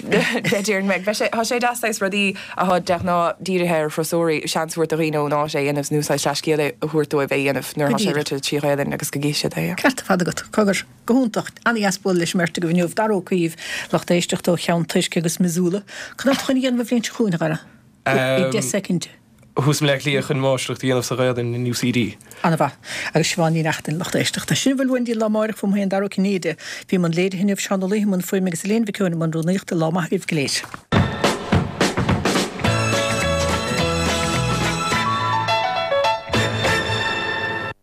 J: Déarfainn go mbeidh. Beidh sé, tá sé deas saghas rudaí atá de ghnáth dírithe ar thurasóirí, seans a thabhairt do dhaoine ón áit é a dhéanamh nó saghas dea-scéal a thabhairt dóibh é a dhéanamh nuair atá sé rite trí Ghaelainn agus go gcífidh siad é.
A: Ceart ar fad agat. Cogar. Go hiontach. An-dheas bualadh leis an mbeirt agaibh inniu. Dara Ó Caoimh, lucht éisteachta ó Cheann Toisce agus Missoula. Cad tá tú chun a dhéanamh an bhliain seo chugainn, a Dhara? I 10 soicind.
I: Thuas i mBleá Cliath chun máistreacht a dhéanamh sa Ghaelainn in UCD.
A: An-mhaith. Agus Siobhán Ní Neachtain, lucht éisteachta. Sin a bhfuil uainn go dtí lá amáireach uaim féin Dara Ó Cinnéide. Bhí i mbun léirithe inniu, Seán Ó Laoithe i mbun fuaime agus Elaine Mhic Eoin i mbun rúnaíochta. Lá maith agaibh go léir.